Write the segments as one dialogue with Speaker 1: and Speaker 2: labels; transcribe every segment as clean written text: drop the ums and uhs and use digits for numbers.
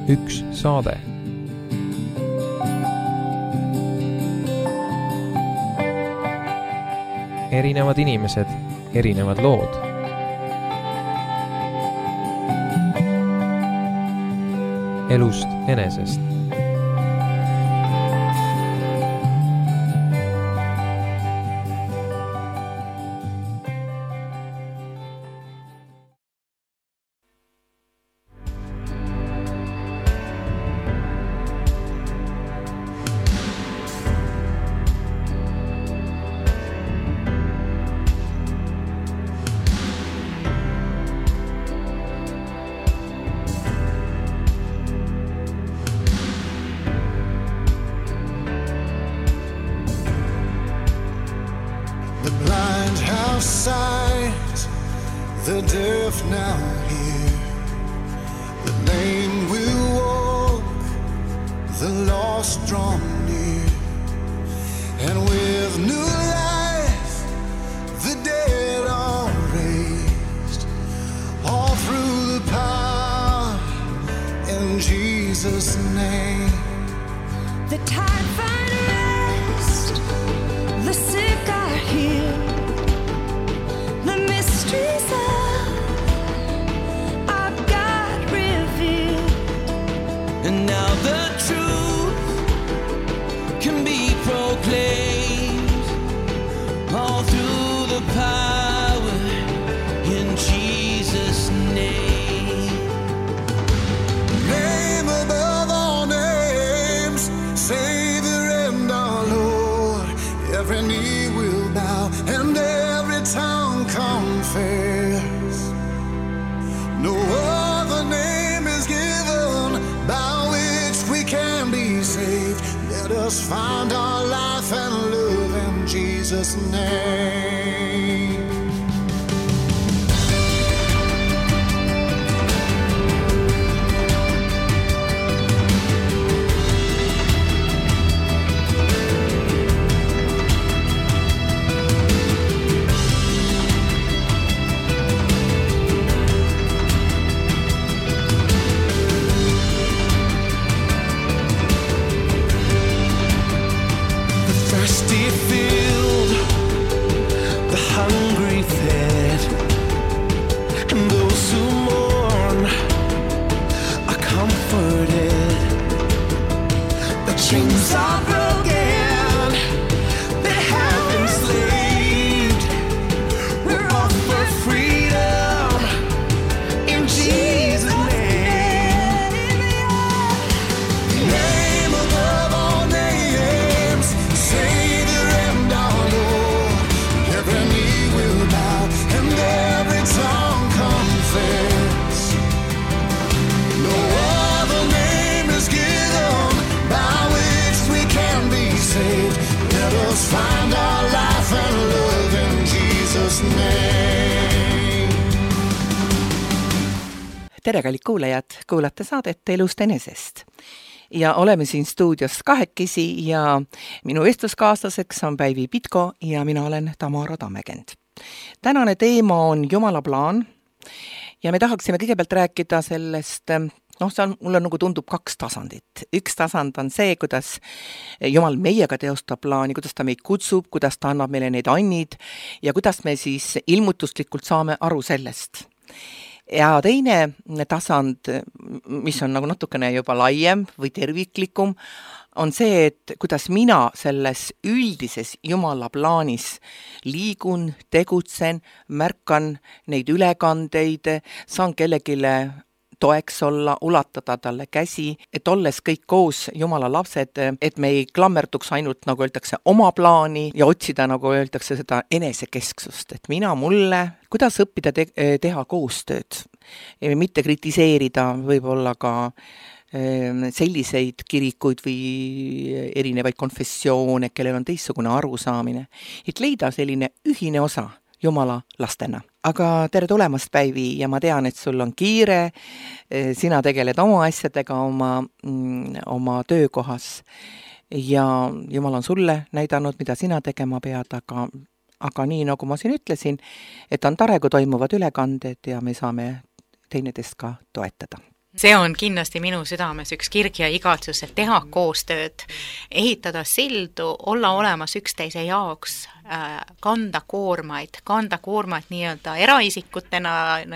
Speaker 1: üks saade. Erinevad inimesed, erinevad lood. Elust enesest.
Speaker 2: The deaf now hear, the lame will walk, the lost draw near, and with new life the dead are raised, all through the power in Jesus' name.
Speaker 3: The tired find rest, the sick are healed, the mysteries
Speaker 4: and now the truth can be proclaimed all through the power in Jesus' name.
Speaker 2: Name above all names, Savior and our Lord. Every knee will bow and every tongue confess. No other name is given by which we can be saved. Let us find our life and love in Jesus' name. Filled, the hungry fed, and those who mourn are comforted. The chains are broken, they have been enslaved. We're offered freedom in Jesus' name. Name above all names, Savior and our Lord. Every knee will bow and every tongue confess. No other name is given by which we can be saved. Let us find our life and love in Jesus' name.
Speaker 5: Tere, kallid kuulajad, kuulate saadet Elust enesest. Ja oleme siin stuudios kahekesi ja minu vestluskaaslaseks on Päivi Pitko ja mina olen Tamara Tammekend. Tänane teema on Jumala plaan ja me tahaksime kõigepealt rääkida sellest, mulle nagu tundub kaks tasandit. Üks tasand on see, kuidas Jumal meiega teostab plaani, kuidas ta meid kutsub, kuidas ta annab meile neid annid ja kuidas me siis ilmutuslikult saame aru sellest. Ja teine tasand, mis on nagu natukene juba laiem või terviklikum, on see, et kuidas mina selles üldises Jumala plaanis liigun, tegutsen, märkan neid ülekandeid, saan kellegile toeks olla, ulatada talle käsi, et olles kõik koos Jumala lapsed, et me ei klammerduks ainult, nagu öeldakse, oma plaani ja otsida, nagu öeldakse, seda enesekesksust, et mina mulle, kuidas õppida teha koostööd, mitte kritiseerida võib-olla ka selliseid kirikuid või erinevaid konfessioone, kellel on teistsugune arusaamine, et leida selline ühine osa Jumala lastena. Aga tere tulemast, Päivi, ja ma tean, et sul on kiire, sina tegeled oma asjadega oma töökohas ja Jumal on sulle näidanud, mida sina tegema pead, aga nii, nagu ma siin ütlesin, et on tore, kui toimuvad ülekanded ja me saame teineteist ka toetada.
Speaker 6: see on kindlasti minu südames üks kirg ja igatsus, et teha koostööd, ehitada sildu, olla olemas üksteise jaoks, kanda koormaid nii-öelda eraisikutena,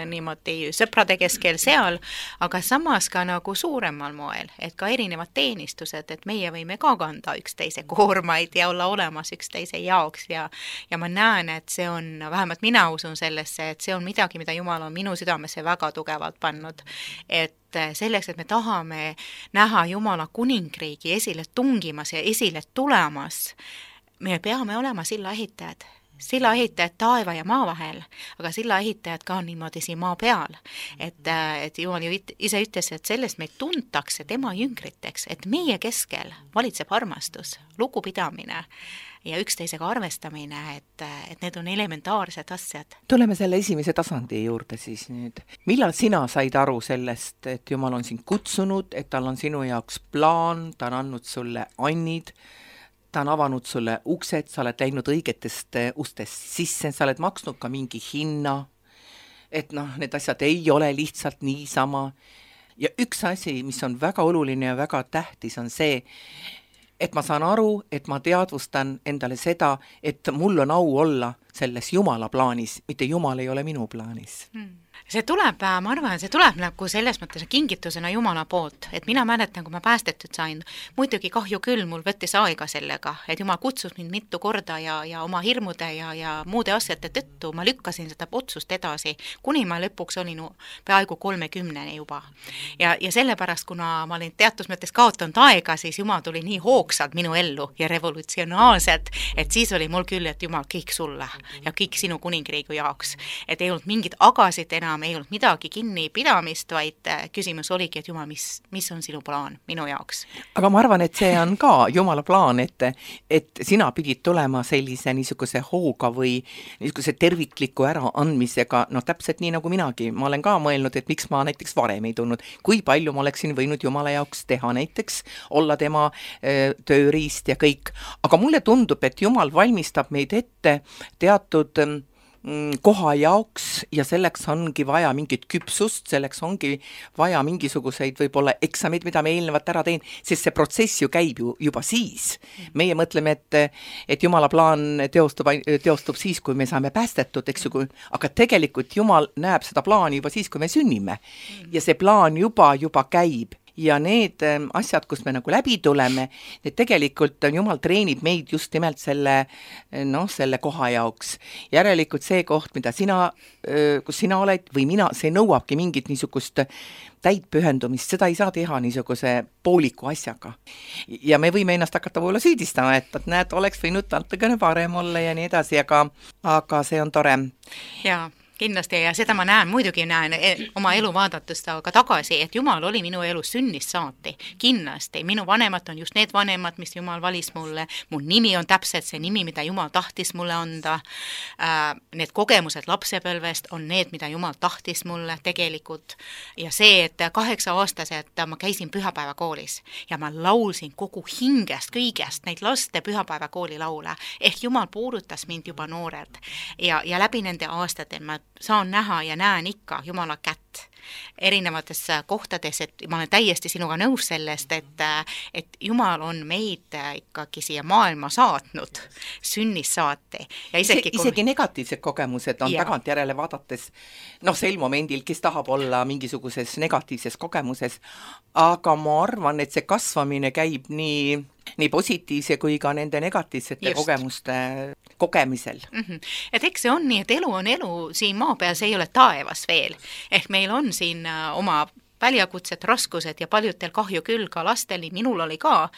Speaker 6: niimoodi sõprade keskel seal, aga samas ka nagu suuremal moel, et ka erinevad teenistused, et meie võime ka kanda üksteise koormaid ja olla olemas üksteise jaoks ja ma näen, et see on, vähemalt mina usun sellesse, et see on midagi, mida Jumal on minu südamesse väga tugevalt pannud, et selleks, et me tahame näha Jumala kuningriigi esile tungimas ja esile tulemas, me peame olema sillaehitajad taeva ja maa vahel, aga sillaehitajad ka niimoodi siin maa peal. Et Jumal ju ise ütles, et sellest meid tuntakse tema jüngriteks, et meie keskel valitseb armastus, lugupidamine ja üksteisega arvestamine, et need on elementaarsed asjad.
Speaker 5: Tuleme selle esimese tasandi juurde siis nüüd. Millal sina said aru sellest, et Jumal on sind kutsunud, et tal on sinu jaoks plaan, ta on andnud sulle annid, ta on avanud sulle uksed, sa oled läinud õigetest ustest sisse, sa oled maksnud ka mingi hinna, et need asjad ei ole lihtsalt niisama. Ja üks asi, mis on väga oluline ja väga tähtis, on see, et ma saan aru, et ma teadvustan endale seda, et mul on au olla selles Jumala plaanis, mitte Jumal ei ole minu plaanis.
Speaker 6: See tuleb, ma arvan, see tuleb nagu selles mõttes kingitusena Jumala poolt, et mina mäletan, kui ma päästetud sain, muidugi kahju küll, mul võttis aega sellega, et Jumal kutsus mind mitu korda ja oma hirmude ja muude asjate tõttu ma lükkasin seda otsust edasi, kuni ma lõpuks olin peaaegu 30 juba. Ja sellepärast, kuna ma olin teatud mõttes kaotanud aega, siis Jumal tuli nii hoogsalt minu ellu ja revolutsionaalselt, et siis oli mul küll, et Jumal kõik sulle ja kõik sinu kuningriigi jaoks, et ei olnud mingit agasid enam, ei olnud midagi kinnipidamist, vaid küsimus oligi, et Jumal, mis on sinu plaan minu jaoks?
Speaker 5: Aga ma arvan, et see on ka Jumala plaan, et sina pidid tulema sellise niisuguse hooga või niisuguse tervikliku äraandmisega, täpselt nii nagu minagi. Ma olen ka mõelnud, et miks ma näiteks varem ei tulnud, kui palju ma oleksin võinud Jumala jaoks teha, näiteks olla tema tööriist ja kõik. Aga mulle tundub, et Jumal valmistab meid ette teatud koha jaoks ja selleks ongi vaja mingit küpsust, selleks ongi vaja mingisuguseid võib-olla eksameid, mida me eelnevalt ära teen, sest see protsess ju käib juba siis. Meie mõtleme, et Jumala plaan teostub siis, kui me saame päästetud, eks ju, aga tegelikult Jumal näeb seda plaani juba siis, kui me sünnime. Ja see plaan juba käib. Ja need asjad, kus me nagu läbi tuleme, need tegelikult Jumal treenib meid just nimelt selle koha jaoks. Järelikult see koht, mida kus sina oled või mina, see nõuabki mingit niisugust täit pühendumist, seda ei saa teha niisuguse pooliku asjaga. Ja me võime ennast hakata võib-olla süüdistama, et näed, oleks võinud natukene parem olla ja nii edasi, aga see on tore.
Speaker 6: Jaa. Kindlasti ja seda ma muidugi näen oma elu vaadatust aga tagasi, et Jumal oli minu elu sünnist saati. Kindlasti. Minu vanemad on just need vanemad, mis Jumal valis mulle. Mu nimi on täpselt see nimi, mida Jumal tahtis mulle anda. Need kogemused lapsepõlvest on need, mida Jumal tahtis mulle tegelikult. Ja see, et 8-aastaselt ma käisin pühapäevakoolis ja ma laulsin kogu hingest, kõigest neid laste pühapäevakooli laule. Ehk Jumal puudutas mind juba noorelt ja läbi nende aastate ma saan näha ja näen ikka Jumala kätt erinevates kohtades, et ma olen täiesti sinuga nõus sellest, et Jumal on meid ikkagi siia maailma saatnud sünnist saati. Ja
Speaker 5: isegi negatiivsed kogemused on tagantjärele vaadates, sel momendil, kes tahab olla mingisuguses negatiivses kogemuses, aga ma arvan, et see kasvamine käib nii positiivse kui ka nende negatiivsete kogemuste kogemisel.
Speaker 6: Et eks see on nii, et elu on elu siin maa peal, see ei ole taevas veel. Ehk meil on siin oma väljakutsed, raskused ja paljudel kahju küll ka lastel, minul oli ka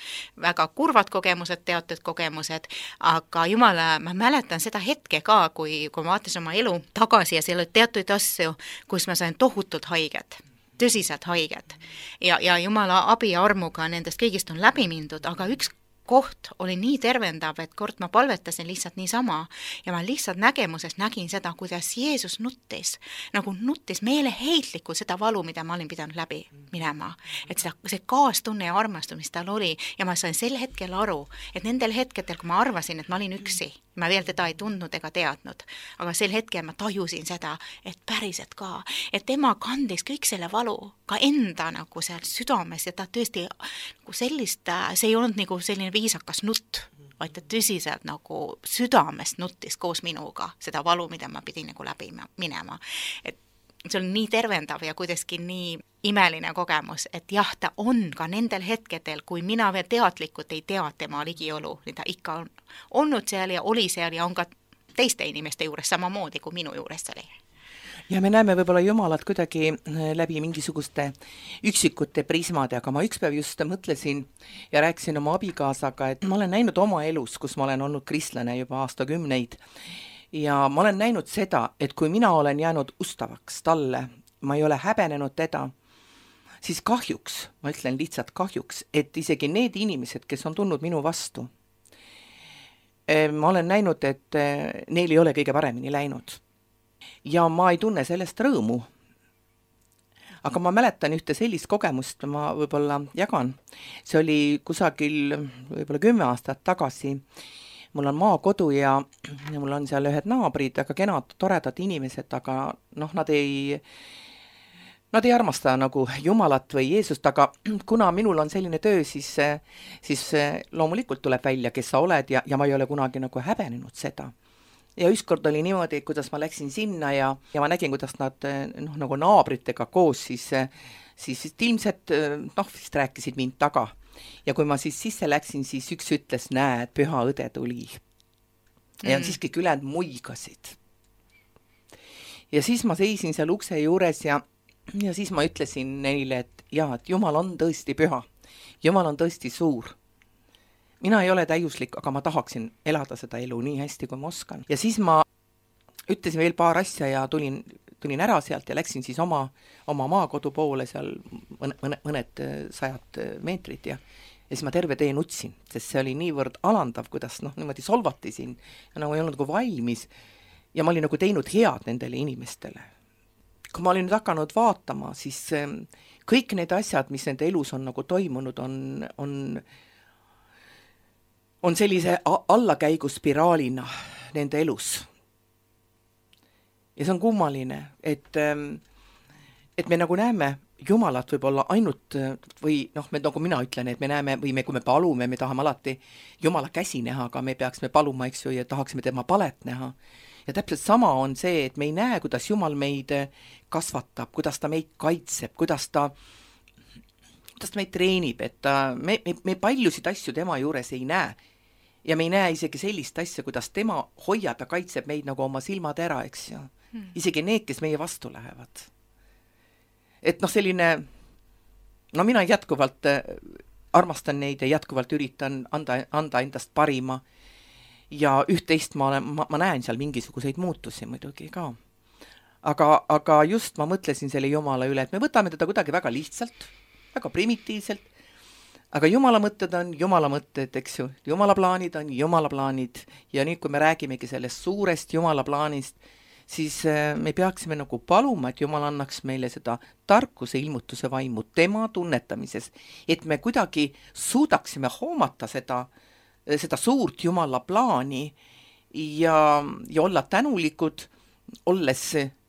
Speaker 6: väga kurvad kogemused, teatud kogemused, aga Jumala, ma mäletan seda hetke ka, kui ma vaatasin oma elu tagasi ja seal oli teatud asju, kus ma sain tohutult haiget. Tõsiselt haiged. Ja Jumala abi ja armuga nendest kõigist on läbi mindud, aga üks koht oli nii tervendav, et kord ma palvetasin lihtsalt niisama ja ma lihtsalt nägemuses nägin seda, kuidas Jeesus nuttis meeleheitlikult seda valu, mida ma olin pidanud läbi minema. Et see kaastunne ja armastus, mis tal oli, ja ma sain sel hetkel aru, et nendel hetkedel, kui ma arvasin, et ma olin üksi, ma veel teda ei tundnud ega teadnud, aga sel hetkel ma tajusin seda, et päriselt ka, et tema kandis kõik selle valu ka enda nagu seal südames ja ta tõesti nagu sellist, see ei olnud nagu selline viisakas nutt, vaid ta tõsiselt nagu südamest nuttis koos minuga seda valu, mida ma pidin nagu läbi minema. Et see on nii tervendav ja kuidagi nii imeline kogemus, et jah, ta on ka nendel hetkedel, kui mina veel teadlikult ei tea tema ligiolu, ta ikka on olnud seal ja oli seal ja on ka teiste inimeste juures samamoodi, kui minu juures oli.
Speaker 5: Ja me näeme võib-olla Jumalat kuidagi läbi mingisuguste üksikute prismade, aga ma ükspäev just mõtlesin ja rääkisin oma abikaasaga, et ma olen näinud oma elus, kus ma olen olnud kristlane juba aastakümneid ja ma olen näinud seda, et kui mina olen jäänud ustavaks talle, ma ei ole häbenenud teda, siis kahjuks, ma ütlen lihtsalt kahjuks, et isegi need inimesed, kes on tulnud minu vastu, ma olen näinud, et neil ei ole kõige paremini läinud. Ja ma ei tunne sellest rõõmu. Aga ma mäletan ühte sellist kogemust, ma võib-olla jagan. See oli kusagil võib-olla 10 aastat tagasi. Mul on maakodu ja mul on seal ühed naabrid, aga kenad, toredad inimesed, aga nad ei armasta nagu Jumalat või Jeesust, aga kuna minul on selline töö, siis loomulikult tuleb välja, kes sa oled ja ma ei ole kunagi nagu häbenenud seda. Ja ükskord oli niimoodi, kuidas ma läksin sinna ja ma nägin, kuidas nad nagu naabritega koos siis ilmselt vist rääkisid mind taga. Ja kui ma siis sisse läksin, siis üks ütles, näed, püha õde tuli. Ja siis kõik ülejäänud muigasid. Ja siis ma seisin seal ukse juures ja siis ma ütlesin neile, et Jumal on tõesti püha. Jumal on tõesti suur. Mina ei ole täiuslik, aga ma tahaksin elada seda elu nii hästi, kui ma oskan. Ja siis ma ütlesin veel paar asja ja tulin ära sealt ja läksin siis oma maakodu poole seal mõned 100 meetrid ja siis ma terve tee nutsin, sest see oli niivõrd alandav, kuidas niimoodi solvati siin ja nagu ei olnud nagu valmis ja ma olin nagu teinud head nendele inimestele. Kui ma olin nüüd hakanud vaatama, siis kõik need asjad, mis nende elus on nagu toimunud, on sellise allakäiguspiraalina nende elus. Ja see on kummaline, et me nagu näeme Jumalat võib-olla ainult või nagu mina ütlen, et me näeme või kui me palume, me tahame alati Jumala käsi näha, aga me peaksime paluma, eks ju, ja tahaksime tema palet näha. Ja täpselt sama on see, et me ei näe, kuidas Jumal meid kasvatab, kuidas ta meid kaitseb, kuidas ta meid treenib, et me paljusid asju tema juures ei näe. Ja me ei näe isegi sellist asja, kuidas tema hoiab ja kaitseb meid nagu oma silmad ära, eks ju. Isegi need, kes meie vastu lähevad. Et selline, mina jätkuvalt armastan neid ja jätkuvalt üritan anda endast parima. Ja üht-teist ma näen seal mingisuguseid muutusi muidugi ka. Aga just ma mõtlesin selle Jumala üle, et me võtame teda kuidagi väga lihtsalt, väga primitiivselt. Aga Jumala mõtted on Jumala mõtted, eks ju. Jumala plaanid on Jumala plaanid. Ja nüüd, kui me räägimegi sellest suurest Jumala plaanist, siis me peaksime nagu paluma, et Jumal annaks meile seda tarkuse ilmutuse vaimu tema tunnetamises, et me kuidagi suudaksime hoomata seda suurt Jumala plaani ja olla tänulikud, olles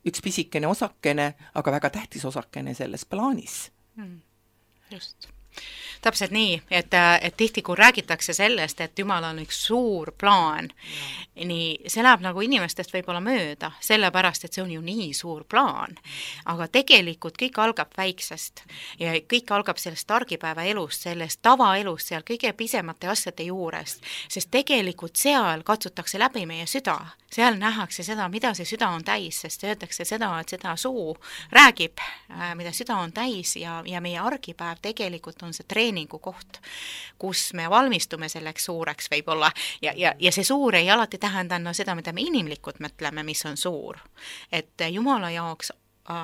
Speaker 5: üks pisikene osakene, aga väga tähtis osakene selles plaanis.
Speaker 6: Just. Täpselt nii, et tihti kui räägitakse sellest, et Jumal on üks suur plaan, nii see läheb nagu inimestest võib-olla mööda, sellepärast, et see on ju nii suur plaan. Aga tegelikult kõik algab väiksest ja kõik algab sellest argipäeva elust, sellest tavaelust, seal kõige pisemate asjade juurest, sest tegelikult seal katsutakse läbi meie süda. Seal nähakse seda, mida see süda on täis, sest öeldakse seda, et seda suu räägib, mida süda on täis ja meie argipäev tegelikult on see treeningu koht, kus me valmistume selleks suureks võib-olla ja see suur ei alati tähenda seda, mida me inimlikult mõtleme, mis on suur. Et Jumala jaoks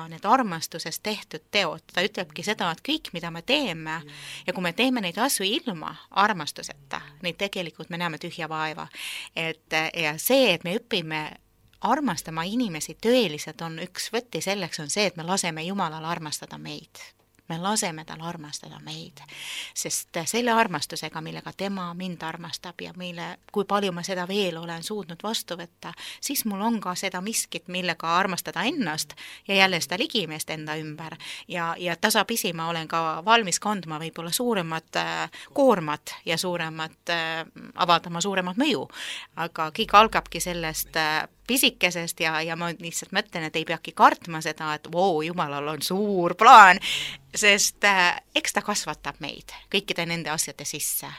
Speaker 6: need armastuses tehtud teod, ta ütlebki seda, et kõik, mida me teeme ja kui me teeme neid asju ilma armastuseta, neid tegelikult me näeme tühja vaeva. Ja see, et me õpime armastama inimesi tõeliselt on üks võti selleks on see, et me laseme Jumalal armastada meid. Me laseme tal armastada meid, sest selle armastusega, millega tema mind armastab ja kui palju ma seda veel olen suutnud vastu võtta, siis mul on ka seda miskit, millega armastada ennast ja jälle seda ligimeest enda ümber. Ja tasapisi ma olen ka valmis kandma võib-olla suuremat koormat ja avaldama suuremat mõju. Aga kõik algabki sellest pisikesest ja ma lihtsalt mõtlen, et ei peagi kartma seda, et Jumalal on suur plaan, sest eks ta kasvatab meid kõikide nende asjade sisse.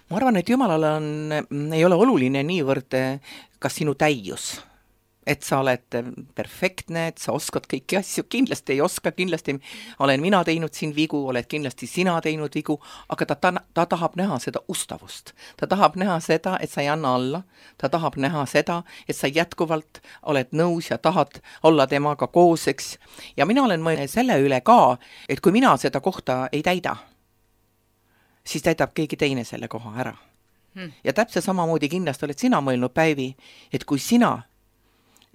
Speaker 5: Ma arvan, et Jumalal ei ole oluline niivõrd kas sinu täius, et sa oled perfektne, et sa oskad kõiki asju, kindlasti ei oska, kindlasti olen mina teinud siin vigu, oled kindlasti sina teinud vigu, aga ta tahab näha seda ustavust. Ta tahab näha seda, et sa ei anna alla, ta tahab näha seda, et sa jätkuvalt oled nõus ja tahad olla temaga kooseks. Ja mina olen mõelnud selle üle ka, et kui mina seda kohta ei täida, siis täidab keegi teine selle koha ära. Ja täpselt samamoodi kindlasti oled sina mõelnud, Päivi, et kui sina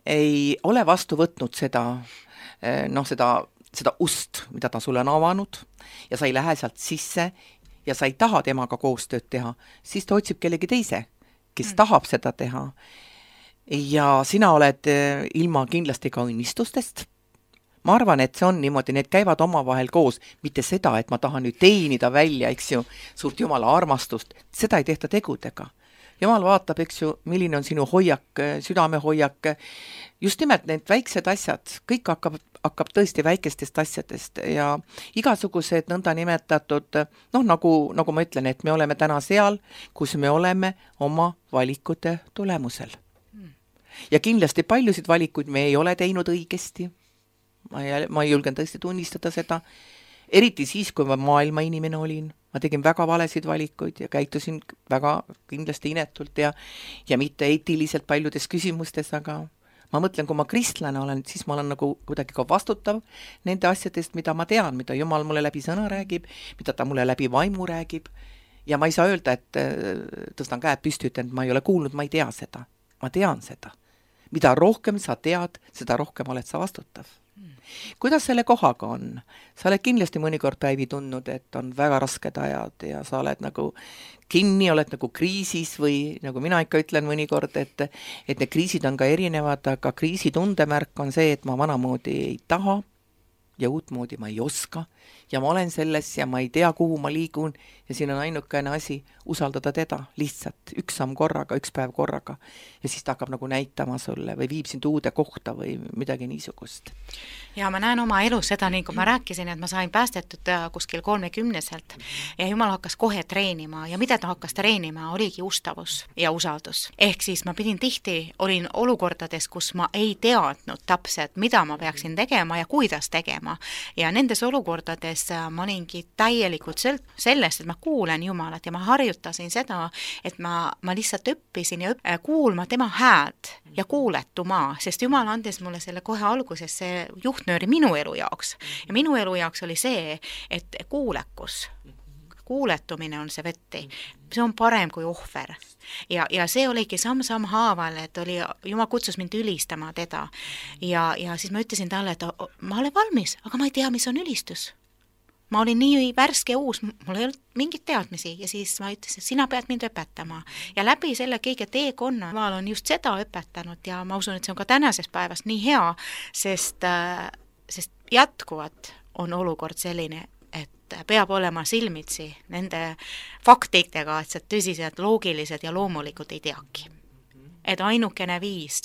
Speaker 5: ei ole vastu võtnud seda ust, mida ta sulle on avanud ja sa ei lähe sealt sisse ja sa ei taha temaga koostööd teha, siis ta otsib kellegi teise, kes tahab seda teha. Ja sina oled ilma kindlasti ka unnistustest. Ma arvan, et see on niimoodi, need käivad omavahel koos, mitte seda, et ma tahan nüüd teenida välja, eks ju, suurt Jumala armastust, seda ei tehta tegudega. Jumal vaatab, eks ju, milline on sinu hoiak, südamehoiak, just nimelt need väiksed asjad, kõik hakkab tõesti väikestest asjadest ja igasugused nõnda nimetatud, nagu ma ütlen, et me oleme täna seal, kus me oleme oma valikute tulemusel. Ja kindlasti paljusid valikuid me ei ole teinud õigesti, ma ei julgen tõesti tunnistada seda, eriti siis, kui ma maailma inimene olin. Ma tegin väga valesid valikuid ja käitusin väga kindlasti inetult ja mitte eetiliselt paljudes küsimustes, aga ma mõtlen, kui ma kristlane olen, siis ma olen nagu kuidagi ka vastutav nende asjadest, mida ma tean, mida Jumal mulle läbi sõna räägib, mida ta mulle läbi vaimu räägib ja ma ei saa öelda, et tõstan käed püsti, ütlen, et ma ei ole kuulnud, ma ei tea seda. Ma tean seda. Mida rohkem sa tead, seda rohkem oled sa vastutav. Kuidas selle kohaga on? Sa oled kindlasti mõnikord, Päivi, tundnud, et on väga rasked ajad ja sa oled nagu kinni, oled nagu kriisis või nagu mina ikka ütlen mõnikord, et need kriisid on ka erinevad, aga kriisi tundemärk on see, et ma vanamoodi ei taha ja uutmoodi ma ei oska ja ma olen selles ja ma ei tea, kuhu ma liigun ja siin on ainukene asi usaldada teda lihtsalt üks samm korraga, üks päev korraga ja siis ta hakkab nagu näitama sulle või viib sind uude kohta või midagi niisugust.
Speaker 6: Ja ma näen oma elus seda, nii kui ma rääkisin, et ma sain päästetud kuskil 30-selt ja Jumal hakkas kohe treenima ja mida ta hakkas treenima, oligi ustavus ja usaldus. Ehk siis ma olin olukordades, kus ma ei teadnud täpselt, mida ma peaksin tegema ja kuidas tegema ja nendes olukordades ma olingi täielikult sellest, et ma kuulen Jumalat ja ma harjutasin seda, et ma lihtsalt õppisin ja kuulma tema häält ja kuuletuma, sest Jumal andis mulle selle kohe alguses see juhtnööri minu elu jaoks ja minu elu jaoks oli see, et kuuletumine on see võtti, see on parem kui ohver ja see oligi samm haaval, et Jumal kutsus mind ülistama teda ja siis ma ütlesin talle, et ma olen valmis, aga ma ei tea, mis on ülistus. Ma olin nii värske uus, mul ei olnud mingit teadmisi ja siis ma ütlesin, et sina pead mind õpetama ja läbi selle kõige teekonna ma olen just seda õpetanud ja ma usun, et see on ka tänasest päevast nii hea, sest jätkuvalt on olukord selline, et peab olema silmitsi nende faktidega, et see tõsiselt loogilised ja loomulikult ei teagi. Et ainukene viis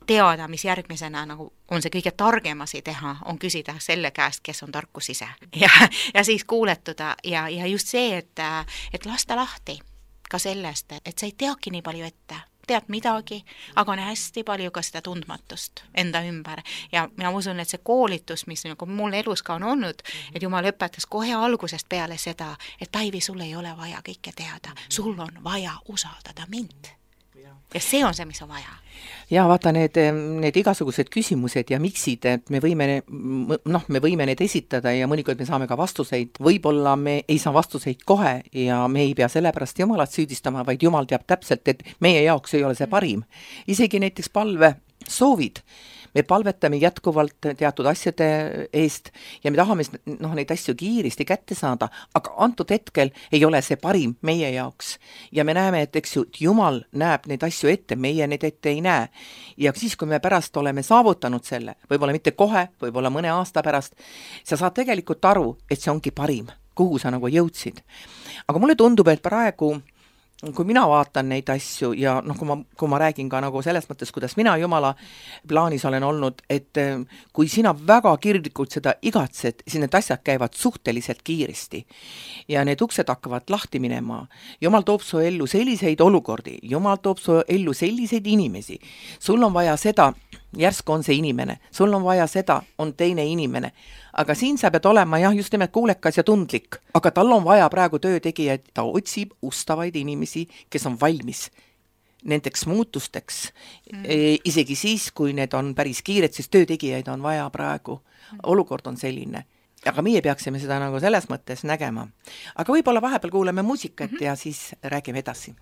Speaker 6: teada, mis järgmisena nagu on see kõige targem asi teha, on küsida selle käest, kes on tarkus ise ja siis kuuletuda ja just see, et lasta lahti ka sellest, et sa ei teagi nii palju ette, tead midagi, aga on hästi palju ka seda tundmatust enda ümber ja mina usun, et see koolitus, mis nagu mul elus ka on olnud, et Jumal õpetas kohe algusest peale seda, et Päivi, sul ei ole vaja kõike teada, sul on vaja usaldada mind. ja see on see, mis on vaja.
Speaker 5: Ja vaata need igasugused küsimused ja miksid, et me võime need esitada ja mõnikord me saame ka vastuseid. Võib-olla me ei saa vastuseid kohe ja me ei pea sellepärast Jumalat süüdistama, vaid Jumal teab täpselt, et meie jaoks ei ole see parim. Isegi näiteks palve soovid. Me palvetame jätkuvalt teatud asjade eest ja me tahame neid asju kiiresti kätte saada, aga antud hetkel ei ole see parim meie jaoks. Ja me näeme, et eks ju, Jumal näeb neid asju ette, meie neid ette ei näe. Ja siis, kui me pärast oleme saavutanud selle, võib-olla mitte kohe, võib-olla mõne aasta pärast, sa saad tegelikult aru, et see ongi parim, kuhu sa nagu jõudsid. Aga mulle tundub, et praegu kui mina vaatan neid asju ja kui ma räägin ka nagu selles mõttes, kuidas mina Jumala plaanis olen olnud, et kui sina väga kirglikult seda igatsed, siis need asjad käivad suhteliselt kiiresti ja need uksed hakkavad lahti minema. Jumal toob su ellu selliseid olukordi, Jumal toob su ellu selliseid inimesi. Sul on vaja seda, järsku on see inimene, sul on vaja seda, on teine inimene. Aga siin sa pead olema just nimelt kuulekas ja tundlik, aga tal on vaja praegu töötegijaid, ta otsib ustavaid inimesi, kes on valmis nendeks muutusteks. Isegi siis, kui need on päris kiired, siis töötegijaid on vaja praegu. Olukord on selline. Aga meie peaksime seda nagu selles mõttes nägema. Aga võib-olla vahepeal kuuleme muusikat ja siis räägime edasi.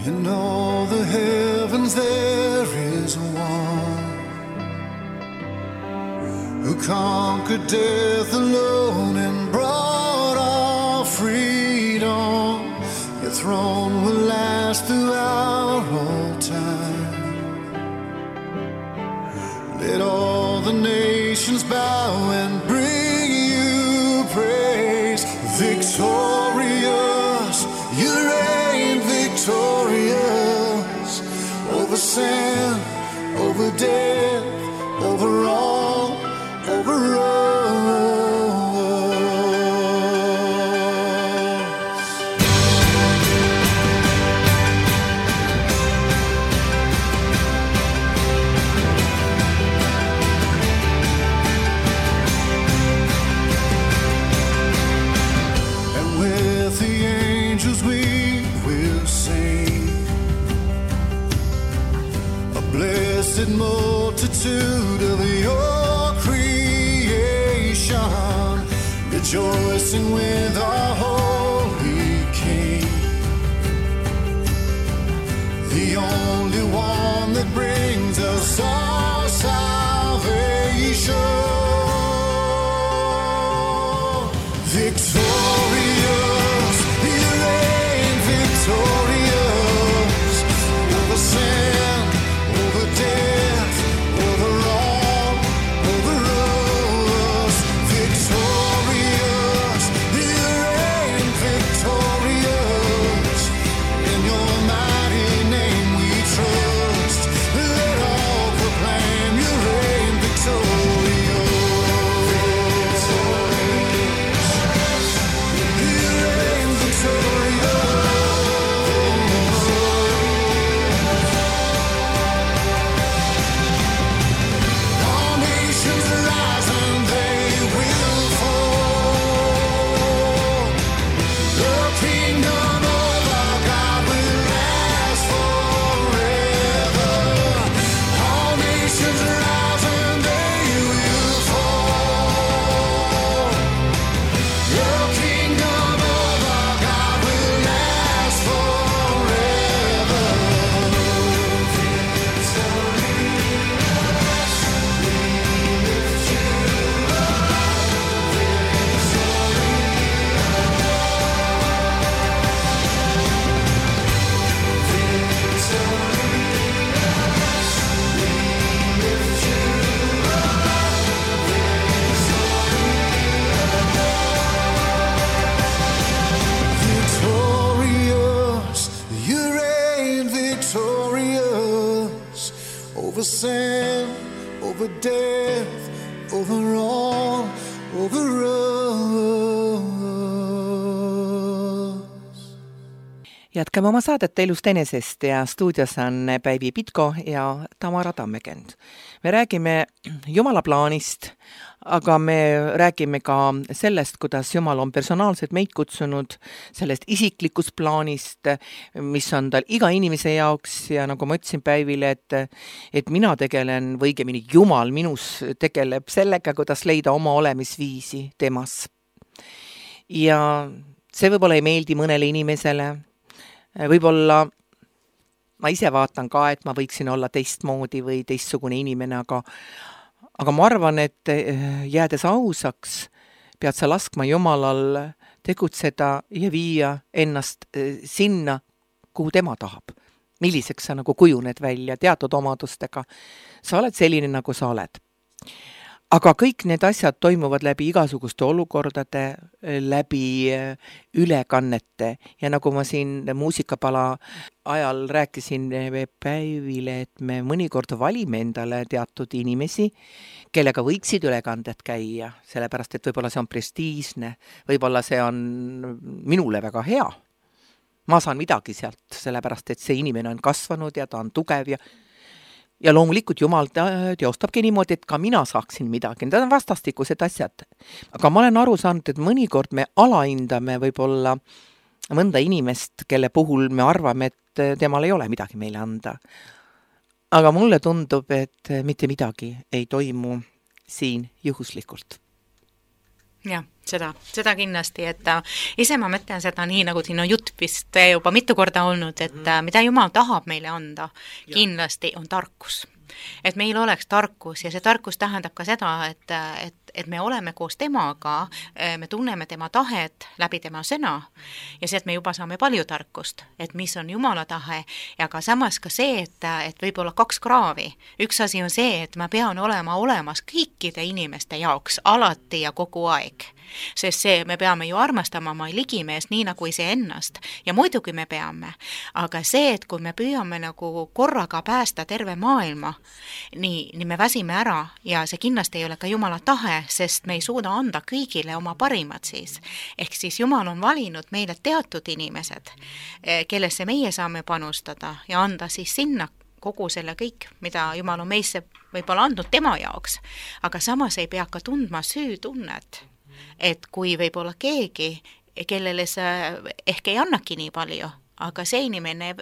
Speaker 2: In all the heavens there is one who conquered death alone and brought our freedom. Your throne will last throughout all time. Let all the nations bow and bring you praise. Victorious, you reign victorious over sin, over death, over all, over us. And with the angels we will sing a blessed multitude of your creation, rejoicing with our holy King, the only one that brings us our salvation. Victorious, you reign victorious over sin, over death, over all, over us. Victorious, you reign victorious. In your mighty name we trust. Let all proclaim you reign victorious. You reign victorious. All nations rise and they will fall. The kingdom of our God will last forever. All nations rise and they will fall. The kingdom of our God will last forever. Victorious, you reign victorious over sin, over death, over all, over us.
Speaker 5: Jätkame oma saadet Elust enesest ja stuudios on Päivi Pitko ja Tamara Tammekend. Me räägime Jumala plaanist, aga me räägime ka sellest, kuidas Jumal on personaalselt meid kutsunud, sellest isiklikust plaanist, mis on tal iga inimese jaoks ja nagu ma ütlesin Päivile, et mina tegelen, või õigemini Jumal minus tegeleb sellega, kuidas leida oma olemisviisi temas. Ja see võib-olla ei meeldi mõnele inimesele, võib-olla ma ise vaatan ka, et ma võiksin olla teistmoodi või teistsugune inimene, aga ma arvan, et jäädes ausaks, pead sa laskma Jumalal tegutseda ja viia ennast sinna, kuhu tema tahab. Milliseks sa nagu kujuned välja teatud omadustega. Sa oled selline, nagu sa oled. Aga kõik need asjad toimuvad läbi igasuguste olukordade, läbi ülekannete ja nagu ma siin muusikapala ajal rääkisin Päivile, et me mõnikord valime endale teatud inimesi, kellega võiksid ülekanded käia, sellepärast et võib-olla see on prestiižne, võib-olla see on minule väga hea. Ma saan midagi sealt, sellepärast et see inimene on kasvanud ja ta on tugev ja loomulikult Jumal teostabki niimoodi, et ka mina saaksin midagi. Need on vastastikused asjad. Aga ma olen aru saanud, et mõnikord me alahindame võib-olla mõnda inimest, kelle puhul me arvame, et temal ei ole midagi meile anda. Aga mulle tundub, et mitte midagi ei toimu siin juhuslikult.
Speaker 6: Jah, seda kindlasti, et ise ma mõtlen seda nii, nagu siin on jutt vist juba mitu korda olnud, et mida Jumal tahab meile anda, kindlasti on tarkus. Et meil oleks tarkus ja see tarkus tähendab ka seda, et me oleme koos temaga, me tunneme tema tahet läbi tema sõna ja see, et me juba saame palju tarkust, et mis on Jumala tahe ja ka samas ka see, et võib-olla kaks kraavi. Üks asi on see, et ma pean olema olemas kõikide inimeste jaoks alati ja kogu aeg. Sest see, me peame ju armastama oma ligimeest nii nagu ise ennast ja muidugi me peame, aga see, et kui me püüame nagu korraga päästa terve maailma, nii me väsime ära ja see kindlasti ei ole ka Jumala tahe, sest me ei suuda anda kõigile oma parimat siis. Ehk siis Jumal on valinud meile teatud inimesed, kellesse meie saame panustada ja anda siis sinna kogu selle kõik, mida Jumal on meisse võib-olla andnud tema jaoks, aga samas ei pea ka tundma süütunnet. Et kui võib-olla keegi, kellele sa ehk ei annaki nii palju, aga see inimene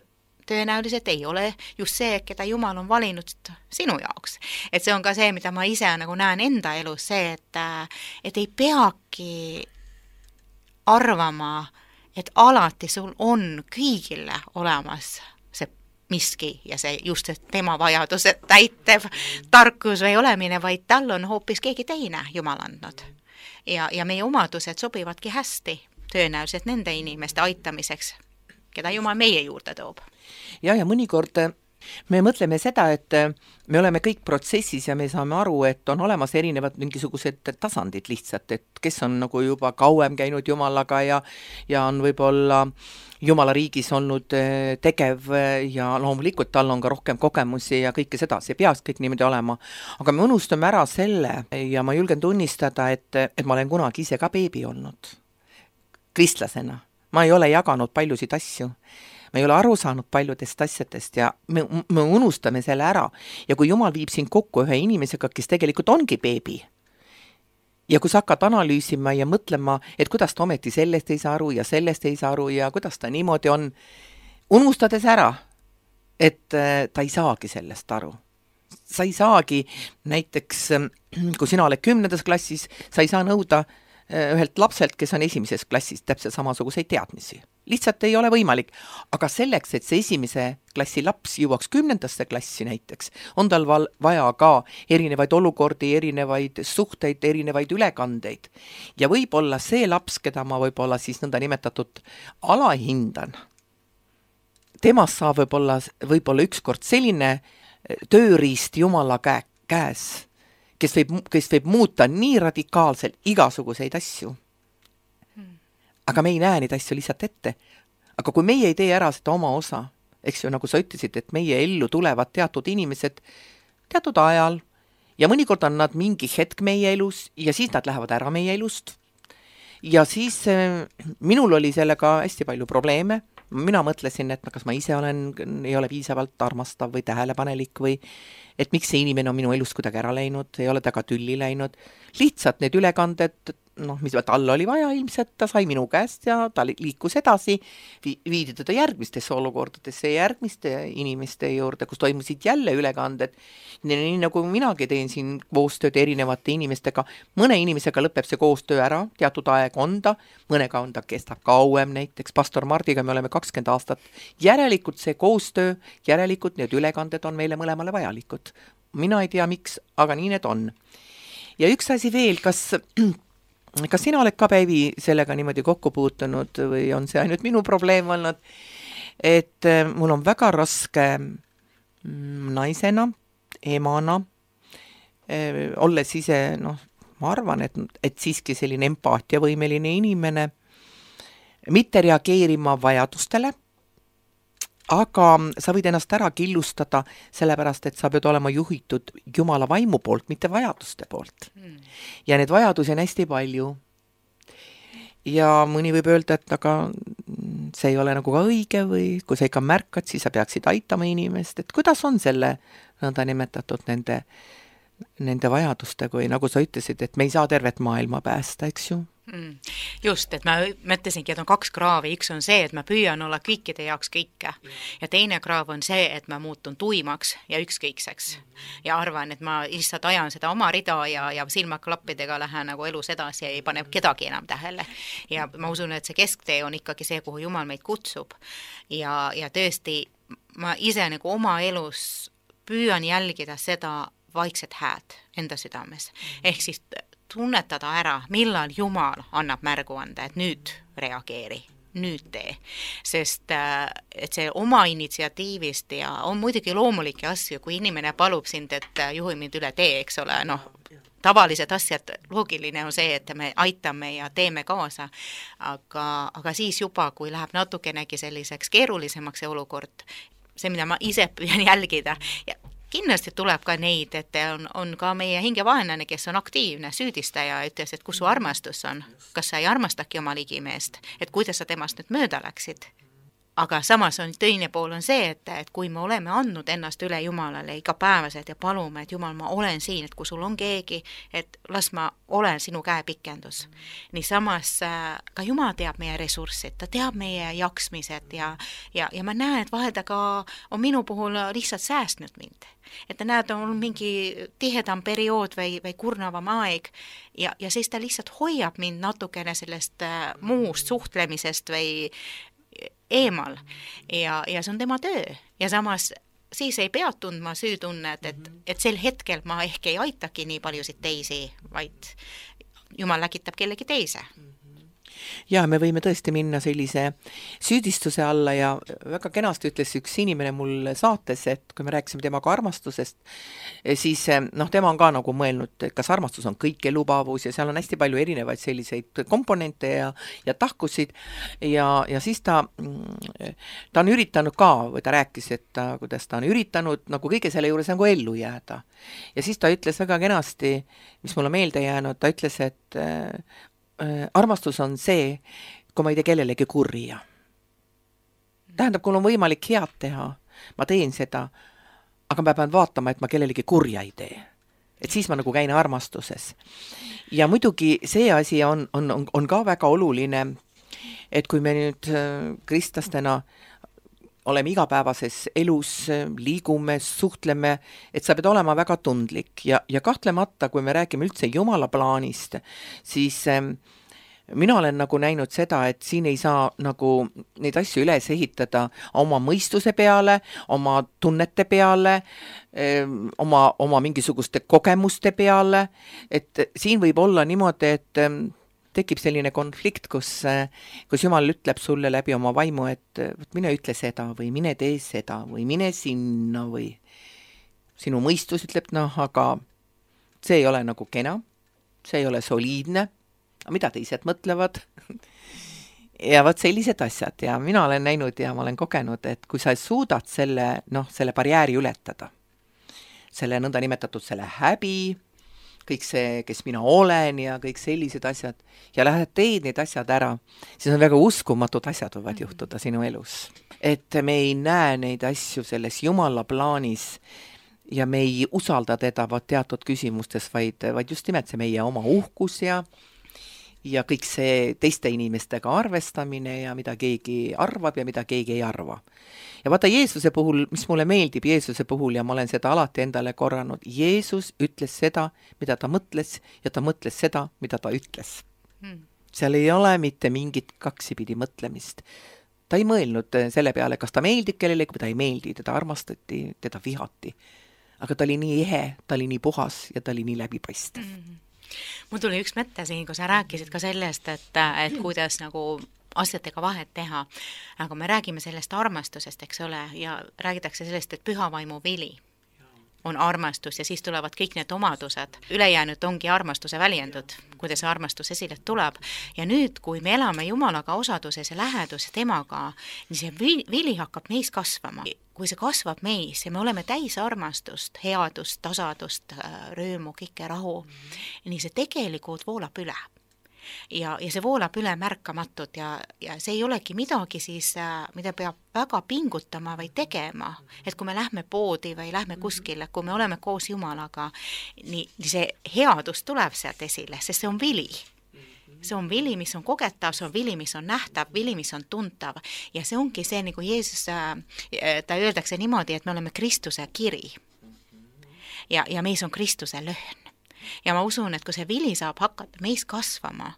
Speaker 6: tõenäoliselt ei ole just see, keda Jumal on valinud sinu jaoks. Et see on ka see, mida ma ise nagu näen enda elus, see, et ei peagi arvama, et alati sul on kõigile olemas see miski ja see just tema vajadused täitev tarkus või olemine, vaid tal on hoopis keegi teine Jumal andnud. Ja meie omadused sobivadki hästi tõenäoliselt nende inimeste aitamiseks, keda Jumal meie juurde toob.
Speaker 5: Ja mõnikord me mõtleme seda, et me oleme kõik protsessis ja me saame aru, et on olemas erinevad mingisugused tasandid lihtsalt, et kes on nagu juba kauem käinud Jumalaga ja on võib-olla Jumala riigis olnud tegev ja loomulikult tal on ka rohkem kogemusi ja kõike seda, see peaks kõik niimoodi olema. Aga me unustame ära selle ja ma julgen tunnistada, et ma olen kunagi ise ka beebi olnud. Kristlasena. Ma ei ole jaganud paljusid asju. Me ei ole aru saanud paljudest asjadest ja me unustame selle ära. Ja kui Jumal viib sind kokku ühe inimesega, kes tegelikult ongi beebi, ja kui sa hakkad analüüsima ja mõtlema, et kuidas ta ometi sellest ei saa aru ja sellest ei saa aru ja kuidas ta niimoodi on, unustades ära, et ta ei saagi sellest aru. Sa ei saagi, näiteks kui sina oled 10. klassis, sa ei saa nõuda ühelt lapselt, kes on 1. klassis, täpselt samasuguseid teadmisi. Lihtsalt ei ole võimalik. Aga selleks, et see 1. klassi laps jõuaks 10. klassi näiteks, on tal vaja ka erinevaid olukordi, erinevaid suhteid, erinevaid ülekandeid. Ja võib-olla see laps, keda ma võib-olla siis nõnda nimetatud alahindan, temast saab võib-olla ükskord selline tööriist Jumala käes, kes võib muuta nii radikaalselt igasuguseid asju. Aga me ei näe neid asju lihtsalt ette. Aga kui meie ei tee ära seda oma osa, eks ju, nagu sa ütlesid, et meie ellu tulevad teatud inimesed teatud ajal ja mõnikord on nad mingi hetk meie elus ja siis nad lähevad ära meie elust. Ja siis minul oli sellega hästi palju probleeme. mina mõtlesin, et kas ma ise ei ole piisavalt armastav või tähelepanelik või et miks see inimene on minu elust kuidagi ära läinud, ei ole taga tülli läinud. Lihtsalt need ülekanded, mis tal oli vaja ilmselt, ta sai minu käest ja ta liikus edasi, viidi teda järgmistesse olukordadesse, järgmiste inimeste juurde, kus toimusid jälle ülekanded. Nii nagu minagi teen siin koostööd erinevate inimestega, mõne inimesega lõpeb see koostöö ära, teatud aeg on ta, mõnega on ta kestab kauem, näiteks pastor Mardiga me oleme 20 aastat. Järelikult see koostöö, järelikult need ülekanded on meile mõlemale vajalikud. Mina ei tea, miks, aga nii need on. Ja üks asi veel, kas sina oled ka, Päivi, sellega niimoodi kokku puutunud või on see ainult minu probleem olnud, et mul on väga raske naisena, emana, olles ise, ma arvan, et siiski selline empaatiavõimeline inimene, mitte reageerima vajadustele, aga sa võid ennast ära killustada sellepärast, et sa pead olema juhitud Jumala vaimu poolt, mitte vajaduste poolt. Ja need vajadusi on hästi palju. Ja mõni võib öelda, et aga see ei ole nagu ka õige või kui sa ikka märkad, siis sa peaksid aitama inimest. Et kuidas on selle nõnda nimetatud nende vajadustega või nagu sa ütlesid, et me ei saa tervet maailma päästa, eks ju?
Speaker 6: Just, et ma mõtlesingi, et on 2 kraavi, üks on see, et ma püüan olla kõikide jaoks kõike ja teine kraav on see, et ma muutun tuimaks ja ükskõikseks ja arvan, et ma lihtsalt ajan seda oma rida ja silmaklappidega lähen nagu elus edasi ja ei pane kedagi enam tähele ja ma usun, et see kesktee on ikkagi see, kuhu Jumal meid kutsub ja tõesti ma ise nagu oma elus püüan jälgida seda vaikset hääd enda südames, ehk siis tunnetada ära, millal Jumal annab märgu anda, et nüüd reageeri, nüüd tee. Sest et see oma initsiatiivist ja on muidugi loomulikke asju, kui inimene palub sind, et juhi mind üle tee, eks ole, tavalised asjad, loogiline on see, et me aitame ja teeme kaasa, aga siis juba, kui läheb natukenegi selliseks keerulisemaks see olukord, see, mida ma ise püüan jälgida ja kindlasti tuleb ka neid, et on ka meie hingevaenlane, kes on aktiivne süüdistaja, ütles, et kus su armastus on, kas sa ei armastagi oma ligimeest, et kuidas sa temast nüüd mööda läksid. Aga samas on teine pool on see, et kui me oleme andnud ennast üle Jumalale igapäevaselt ja palume, et Jumal, ma olen siin, et kui sul on keegi, et las ma olen sinu käepikendus. Nii samas ka Jumal teab meie ressurssid, ta teab meie jaksmised ja ma näen, et vahel ta ka on minu puhul lihtsalt säästnud mind. Et ta näed, on mingi tihedam periood või kurnavam aeg ja siis ta lihtsalt hoiab mind natukene sellest muust suhtlemisest või eemal ja see on tema töö ja samas siis ei pea tundma süütunnet, et sel hetkel ma ehk ei aitaki nii paljusid teisi, vaid Jumal läkitab kellegi teise.
Speaker 5: Ja me võime tõesti minna sellise süüdistuse alla ja väga kenasti ütles üks inimene mul saates, et kui me rääkisime temaga armastusest, siis tema on ka nagu mõelnud, et kas armastus on kõikelubavus ja seal on hästi palju erinevaid selliseid komponente ja tahkusid ja siis ta on üritanud ka, või ta rääkis, et kuidas ta on üritanud nagu kõige selle juures nagu ellu jääda. Ja siis ta ütles väga kenasti, mis mulle meelde jäänud, ta ütles, et armastus on see, kui ma ei tee kellelegi kurja. Tähendab, kui on võimalik head teha, ma teen seda, aga ma pean vaatama, et ma kellelegi kurja ei tee. Et siis ma nagu käin armastuses. Ja muidugi see asi on ka väga oluline, et kui me nüüd kristlastena oleme igapäevases elus, liigume, suhtleme, et sa pead olema väga tundlik ja kahtlemata, kui me räägime üldse Jumala plaanist, siis mina olen nagu näinud seda, et siin ei saa nagu neid asju üles ehitada oma mõistuse peale, oma tunnete peale, oma mingisuguste kogemuste peale, et siin võib olla niimoodi, et tekib selline konflikt, kus Jumal ütleb sulle läbi oma vaimu, et mine ütle seda või mine tee seda või mine sinna või sinu mõistus ütleb, aga see ei ole nagu kena, see ei ole soliidne, mida teised mõtlevad ja võt sellised asjad ja mina olen näinud ja ma olen kogenud, et kui sa suudad selle barjääri ületada, selle nõnda nimetatud selle häbi, kõik see, kes mina olen ja kõik sellised asjad ja lähed teed need asjad ära, siis on väga uskumatud asjad võivad juhtuda sinu elus. Et me ei näe neid asju selles Jumala plaanis ja me ei usalda teda teatud küsimustes, vaid just nimelt see meie oma uhkus ja kõik see teiste inimestega arvestamine ja mida keegi arvab ja mida keegi ei arva. Ja vaata Jeesuse puhul, mis mulle meeldib Jeesuse puhul ja ma olen seda alati endale korranud, Jeesus ütles seda, mida ta mõtles ja ta mõtles seda, mida ta ütles. Seal ei ole mitte mingit kaksipidi mõtlemist. Ta ei mõelnud selle peale, kas ta meeldib kellelegi, kui ta ei meeldi, teda armastati, teda vihati. Aga ta oli nii ehe, ta oli nii puhas ja ta oli nii läbipaistev.
Speaker 6: Mul tuli üks mõte siin, kui sa rääkisid ka sellest, et kuidas nagu asjadega vahet teha, aga me räägime sellest armastusest, eks ole, ja räägitakse sellest, et püha vaimu vili on armastus ja siis tulevad kõik need omadused. Ülejäänud ongi armastuse väljendud, kuidas see armastus esile tuleb. Ja nüüd, kui me elame Jumalaga osaduses ja läheduses temaga, nii see vili hakkab meis kasvama. Kui see kasvab meis ja me oleme täis armastust, headust, tasadust, röömu, kõike rahu, nii see tegelikult voolab üle. Ja see voolab üle märkamatult ja see ei olegi midagi siis, mida peab väga pingutama või tegema, et kui me lähme poodi või lähme kuskile, kui me oleme koos Jumalaga, nii see headus tuleb sealt esile, sest see on vili. See on vili, mis on kogetav, see on vili, mis on nähtav, vili, mis on tuntav ja see ongi see, nagu Jeesus, ta öeldakse niimoodi, et me oleme Kristuse kiri ja meis on Kristuse lõhn. Ja ma usun, et kui see vili saab hakata meis kasvama,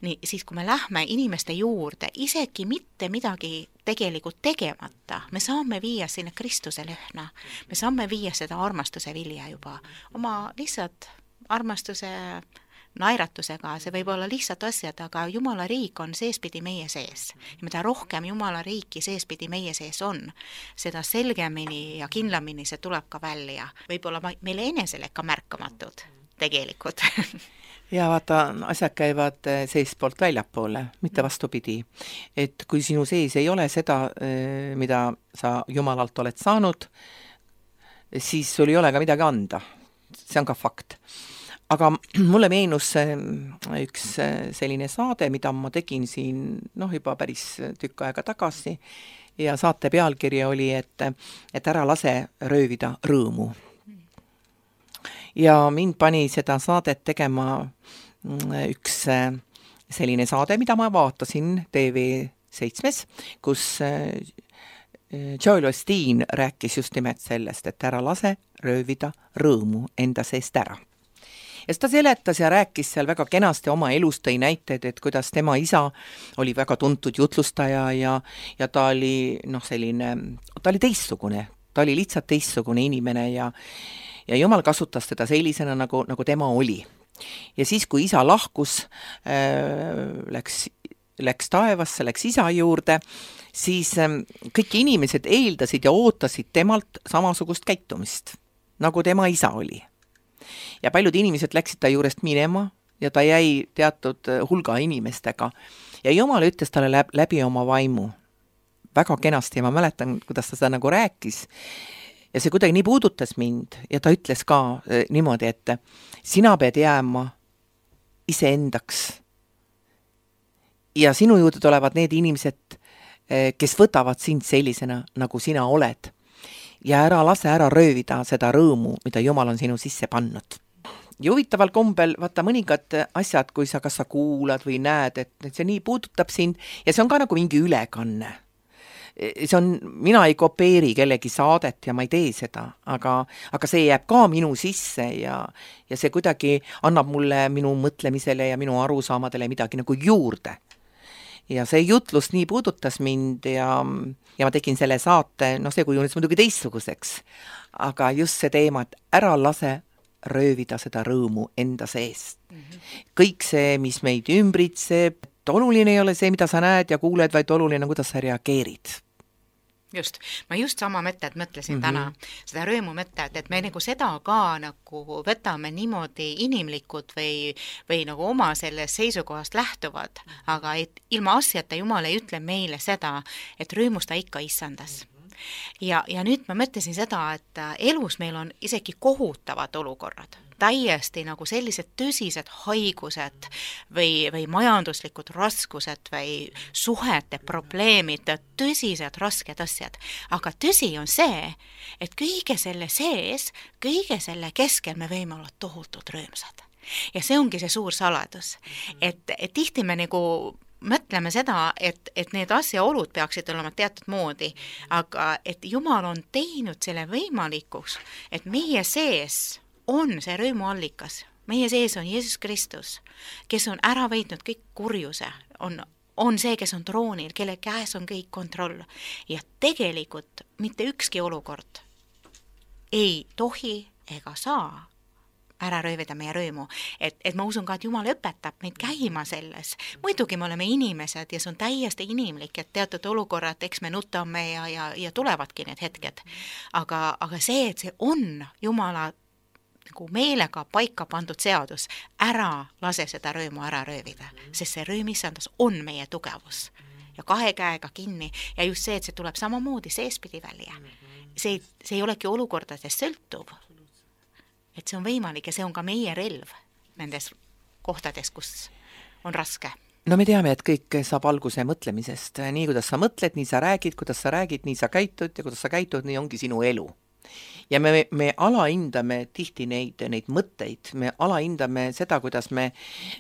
Speaker 6: nii siis kui me lähme inimeste juurde, isegi mitte midagi tegelikult tegemata, me saame viia sinna Kristuse lõhna, me saame viia seda armastuse vilja juba, oma lihtsalt armastuse naeratusega, see võib olla lihtsalt asjad, aga Jumala riik on seespidi meie sees. Ja mida rohkem Jumala riiki seespidi meie sees on, seda selgemini ja kindlamini see tuleb ka välja. Võib-olla meile enesele ka märkamatud tegelikult.
Speaker 5: Ja vaata, asjad käivad seespoolt väljapoole, mitte vastupidi. Et kui sinu sees ei ole seda, mida sa Jumalalt oled saanud, siis sul ei ole ka midagi anda. See on ka fakt. Aga mulle meenus üks selline saade, mida ma tegin siin juba päris tükk aega tagasi ja saate pealkiri oli, et ära lase röövida rõõmu. Ja mind pani seda saadet tegema üks selline saade, mida ma vaatasin TV7, kus Joel Osteen rääkis just nimelt sellest, et ära lase röövida rõõmu enda seest ära. Ja ta seletas ja rääkis seal väga kenasti oma elust, tõi näiteid, et kuidas tema isa oli väga tuntud jutlustaja ja ta oli ta oli teistsugune, ta oli lihtsalt teistsugune inimene ja Jumal kasutas teda sellisena, nagu tema oli. Ja siis, kui isa lahkus, läks taevasse, läks isa juurde, siis kõik inimesed eeldasid ja ootasid temalt samasugust käitumist, nagu tema isa oli. Ja paljud inimesed läksid ta juurest minema ja ta jäi teatud hulga inimestega. Ja Jumal ütles talle läbi oma vaimu väga kenasti ja ma mäletan, kuidas ta seda nagu rääkis. Ja see kuidagi nii puudutas mind ja ta ütles ka niimoodi, et sina pead jääma iseendaks. Ja sinu juurde tulevad need inimesed, kes võtavad sind sellisena, nagu sina oled. Ja ära lase ära röövida seda rõõmu, mida Jumal on sinu sisse pannud. Ja huvitaval kombel, vaata mõningad asjad, kui kas sa kuulad või näed, et see nii puudutab sind ja see on ka nagu mingi ülekanne. Mina ei kopeeri kellegi saadet ja ma ei tee seda, aga see jääb ka minu sisse ja see kuidagi annab mulle minu mõtlemisele ja minu arusaamadele midagi nagu juurde. Ja see jutlus nii puudutas mind ja ma tegin selle saate, see kujunes muidugi teistsuguseks, aga just see teema, et ära lase röövida seda rõõmu enda seest. Kõik see, mis meid ümbritseb, oluline ei ole see, mida sa näed ja kuuled, vaid oluline, kuidas sa reageerid.
Speaker 6: Just, ma just sama mõtted mõtlesin täna, seda rõõmu mõtted, et me nagu seda ka nagu võtame niimoodi inimlikud või nagu oma sellest seisukohast lähtuvad, aga et ilma asjata Jumal ei ütle meile seda, et rõõmusta ikka issandas. Ja nüüd ma mõtlesin seda, et elus meil on isegi kohutavad olukorrad. täiesti nagu sellised tõsised haigused või majanduslikud raskused või suhete probleemid, tõsised rasked asjad. Aga tõsi on see, et kõige selle sees, kõige selle keskel me võime olla tohutult rõõmsad. Ja see ongi see suur saladus, et tihti me nagu mõtleme seda, et need asjaolud peaksid olema teatud moodi, aga et Jumal on teinud selle võimalikuks, et meie sees on see rõõmuallikas. Meie sees on Jeesus Kristus, kes on ära võitnud kõik kurjuse, on see, kes on troonil, kelle käes on kõik kontroll. Ja tegelikult mitte ükski olukord ei tohi ega saa ära röövida meie rõõmu. Et ma usun ka, et Jumal õpetab meid käima selles. Muidugi me oleme inimesed ja see on täiesti inimlik, et teatud olukorrad, eks me nutame ja tulevadki need hetked. Aga see, et see on Jumala nagu meelega paika pandud seadus, ära lase seda rõõmu ära röövida, sest see rõõm issandas on meie tugevus. Ja 2 käega kinni ja just see, et see tuleb samamoodi seespidi välja. See ei olegi olukordadest sõltuv. Et see on võimalik ja see on ka meie relv nendes kohtades, kus on raske.
Speaker 5: No me teame, et kõik saab alguse mõtlemisest. Nii, kuidas sa mõtled, nii sa räägid, nii sa käitud ja kuidas sa käitud, nii ongi sinu elu. Ja me alahindame tihti neid mõtteid, me alahindame seda, kuidas me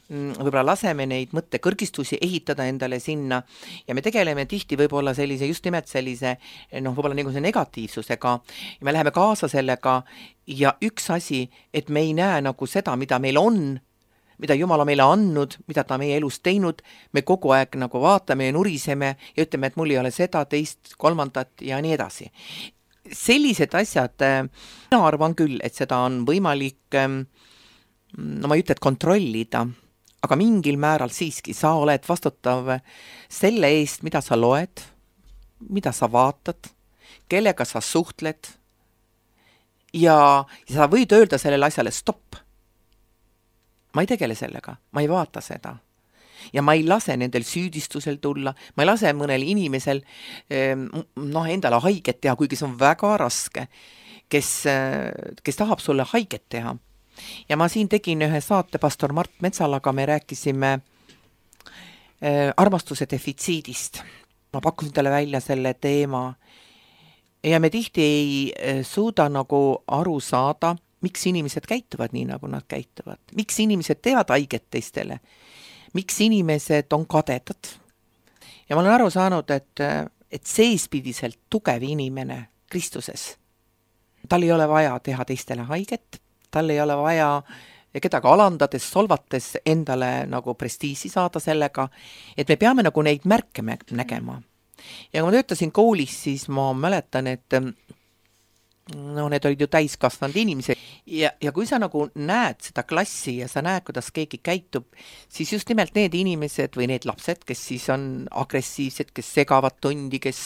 Speaker 5: võib-olla laseme neid mõttekõrgistusi ehitada endale sinna ja me tegeleme tihti võib-olla sellise, just nimelt sellise, võib-olla nagu see negatiivsusega ja me läheme kaasa sellega ja üks asi, et me ei näe nagu seda, mida meil on, mida Jumal on meile andnud, mida ta meie elus teinud, me kogu aeg nagu vaatame ja nuriseme ja ütleme, et mul ei ole seda, teist, kolmandat ja nii edasi. Sellised asjad, mina arvan küll, et seda on võimalik, ma ei ütle, et kontrollida, aga mingil määral siiski sa oled vastutav selle eest, mida sa loed, mida sa vaatad, kellega sa suhtled ja sa võid öelda sellele asjale stopp. Ma ei tegele sellega, ma ei vaata seda. Ja ma ei lase nendel süüdistusel tulla, ma ei lase mõnel inimesel endale haiget teha, kuigi see on väga raske, kes tahab sulle haiget teha. Ja ma siin tegin ühe saate pastor Mart Metsalaga, me rääkisime armastuse defitsiidist. Ma pakkusin talle välja selle teema ja me tihti ei suuda nagu aru saada, miks inimesed käituvad nii, nagu nad käituvad. Miks inimesed teevad haiget teistele? Miks inimesed on kadedad? Ja ma olen aru saanud, et seespidiselt tugev inimene Kristuses, tal ei ole vaja teha teistele haiget, tal ei ole vaja kedagi alandades, solvates endale nagu prestiisi saada sellega, et me peame nagu neid märke nägema. Ja kui ma töötasin koolis, siis ma mäletan, et need olid ju täiskasvanud inimesed ja kui sa nagu näed seda klassi ja sa näed, kuidas keegi käitub, siis just nimelt need inimesed või need lapsed, kes siis on agressiivsed, kes segavad tundi, kes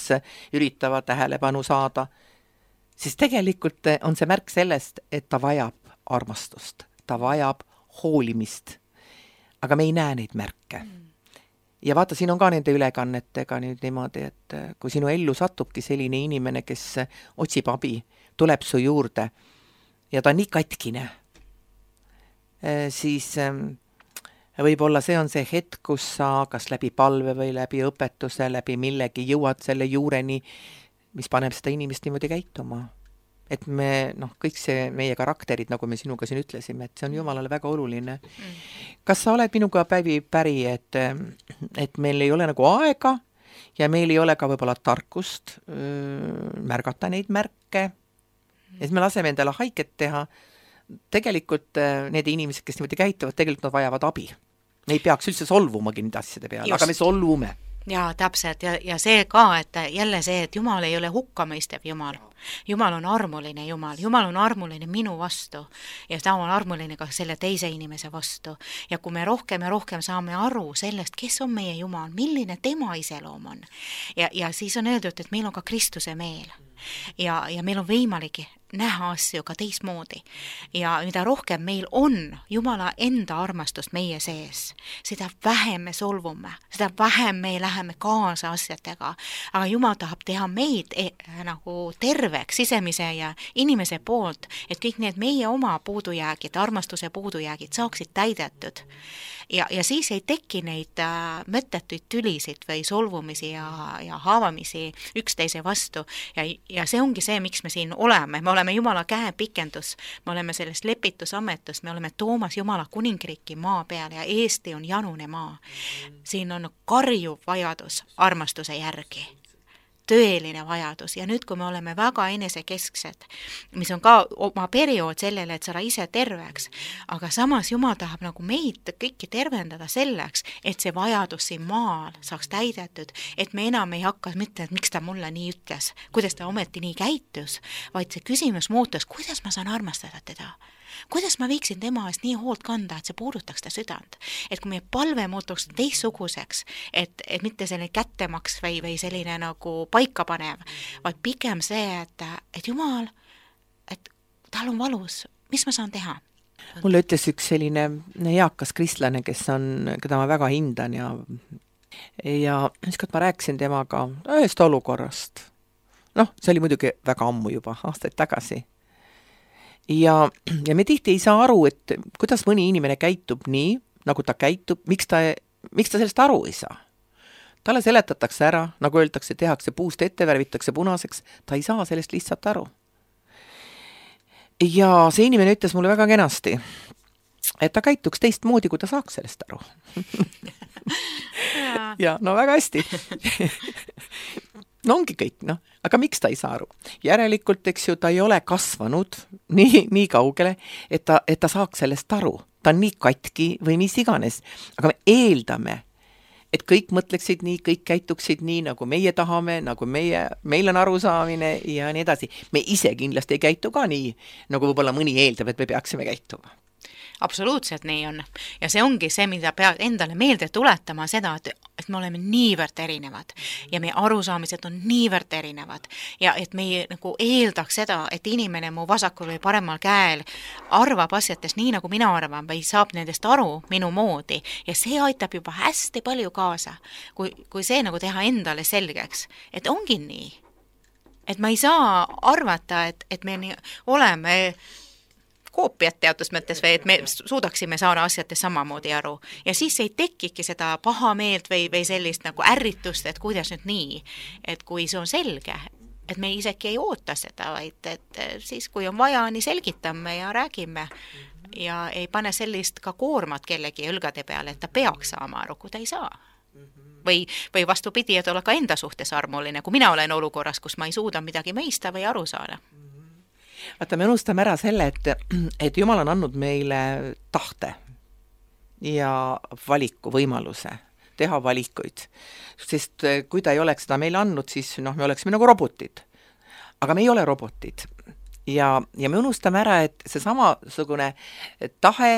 Speaker 5: üritavad tähelepanu saada, siis tegelikult on see märk sellest, et ta vajab armastust, ta vajab hoolimist, aga me ei näe neid märke. Ja vaata, siin on ka nende ülekannetega nüüd niimoodi, et kui sinu ellu satubki selline inimene, kes otsib abi, tuleb su juurde ja ta on nii katkine, siis võib-olla see on see hetk, kus sa kas läbi palve või läbi õpetuse, läbi millegi jõuad selle juureni, mis paneb seda inimest niimoodi käituma. Et me, kõik see meie karakterid, nagu me sinuga siin ütlesime, et see on Jumalale väga oluline. Kas sa oled minuga päri, et meil ei ole nagu aega ja meil ei ole ka võib-olla tarkust märgata neid märke, et me laseme endale haiget teha, tegelikult need inimesed, kes niimoodi käituvad, tegelikult nad vajavad abi. Me ei peaks üldse solvumagi nende asjade peale, aga me solvume.
Speaker 6: Jaa, täpselt, ja see ka, et jälle see, et Jumal ei ole hukkamõistev Jumal. Jumal on armuline Jumal, Jumal on armuline minu vastu ja ta on armuline ka selle teise inimese vastu. Ja kui me rohkem ja rohkem saame aru sellest, kes on meie Jumal, milline tema iseloom on ja siis on öeldud, et meil on ka Kristuse meel ja meil on võimalik näha asju ka teistmoodi. Ja mida rohkem meil on Jumala enda armastust meie sees, seda vähem me solvume, seda vähem me läheme kaasa asjadega. Aga Jumal tahab teha meid nagu terveks sisemise ja inimese poolt, et kõik need meie oma puudujäägid, armastuse puudujäägid saaksid täidetud. Ja siis ei teki neid mõttetuid tülisid või solvumisi ja haavamisi üksteise vastu. Ja see ongi see, miks me siin oleme. Me oleme Jumala käepikendus, me oleme sellest lepitusametust, me oleme toomas Jumala kuningriiki maa peal ja Eesti on janune maa. Siin on karjuv vajadus armastuse järgi. Tõeline vajadus ja nüüd, kui me oleme väga enesekesksed, mis on ka oma periood sellele, et saada ise terveks, aga samas Jumal tahab nagu meid kõiki tervendada selleks, et see vajadus siin maal saaks täidetud, et me enam ei hakka mitte, et miks ta mulle nii ütles, kuidas ta ometi nii käitus, vaid see küsimus muutus, kuidas ma saan armastada teda. Kuidas ma viiksin tema eest nii hoolt kanda, et see puudutaks ta südant. Et kui meie palve muutuks teistsuguseks, et mitte selline kättemaks või selline nagu paikapanev, vaid pigem see, et Jumal, et tal on valus, mis ma saan teha?
Speaker 5: Mulle ütles üks selline eakas kristlane, keda ma väga hindan ja ükskord ma rääkisin temaga ühest olukorrast. See oli muidugi väga ammu juba, aastaid tagasi. Ja me tihti ei saa aru, et kuidas mõni inimene käitub nii, nagu ta käitub, miks ta sellest aru ei saa. Talle seletatakse ära, nagu öeldakse, tehakse puust ette, värvitakse punaseks, ta ei saa sellest lihtsalt aru. Ja see inimene ütles mulle väga kenasti, et ta käituks teistmoodi, kui ta saaks sellest aru. Ja väga hästi. Ongi kõik, aga miks ta ei saa aru? Järelikult, eks ju, ta ei ole kasvanud nii kaugele, et ta saaks sellest aru. Ta on nii katki või mis iganes. Aga me eeldame, et kõik mõtleksid nii, kõik käituksid nii, nagu meie tahame, nagu meil on arusaamine ja nii edasi. Me ise kindlasti ei käitu ka nii, nagu võib-olla mõni eeldab, et me peaksime käituma.
Speaker 6: Absoluutselt nii on. Ja see ongi see, mida peab endale meelde tuletama seda, et me oleme niivõrd erinevad ja meie arusaamised on niivõrd erinevad ja et me nagu eeldaks seda, et inimene mu vasakul või paremal käel arvab asjatest nii, nagu mina arvan või saab nendest aru minu moodi ja see aitab juba hästi palju kaasa, kui see nagu teha endale selgeks, et ongi nii. Et ma ei saa arvata, et me oleme koopiat teatud mõttes või et me suudaksime saada asjadest samamoodi aru. Ja siis ei tekiki seda pahameelt või sellist nagu ärritust, et kuidas nüüd nii, et kui see on selge, et me isegi ei oota seda, vaid et siis, kui on vaja, nii selgitame ja räägime ja ei pane sellist ka koormat kellegi õlgade peale, et ta peaks saama aru, kui ta ei saa. Või vastupidi, et olla ka enda suhtes armuline, kui mina olen olukorras, kus ma ei suuda midagi mõista või aru saada.
Speaker 5: Vaata, me unustame ära selle, et Jumal on andnud meile tahte ja valiku võimaluse teha valikuid. Sest kui ta ei oleks seda meile andnud, siis me oleksime nagu robotid. Aga me ei ole robotid. Ja me unustame ära, et see samasugune tahe,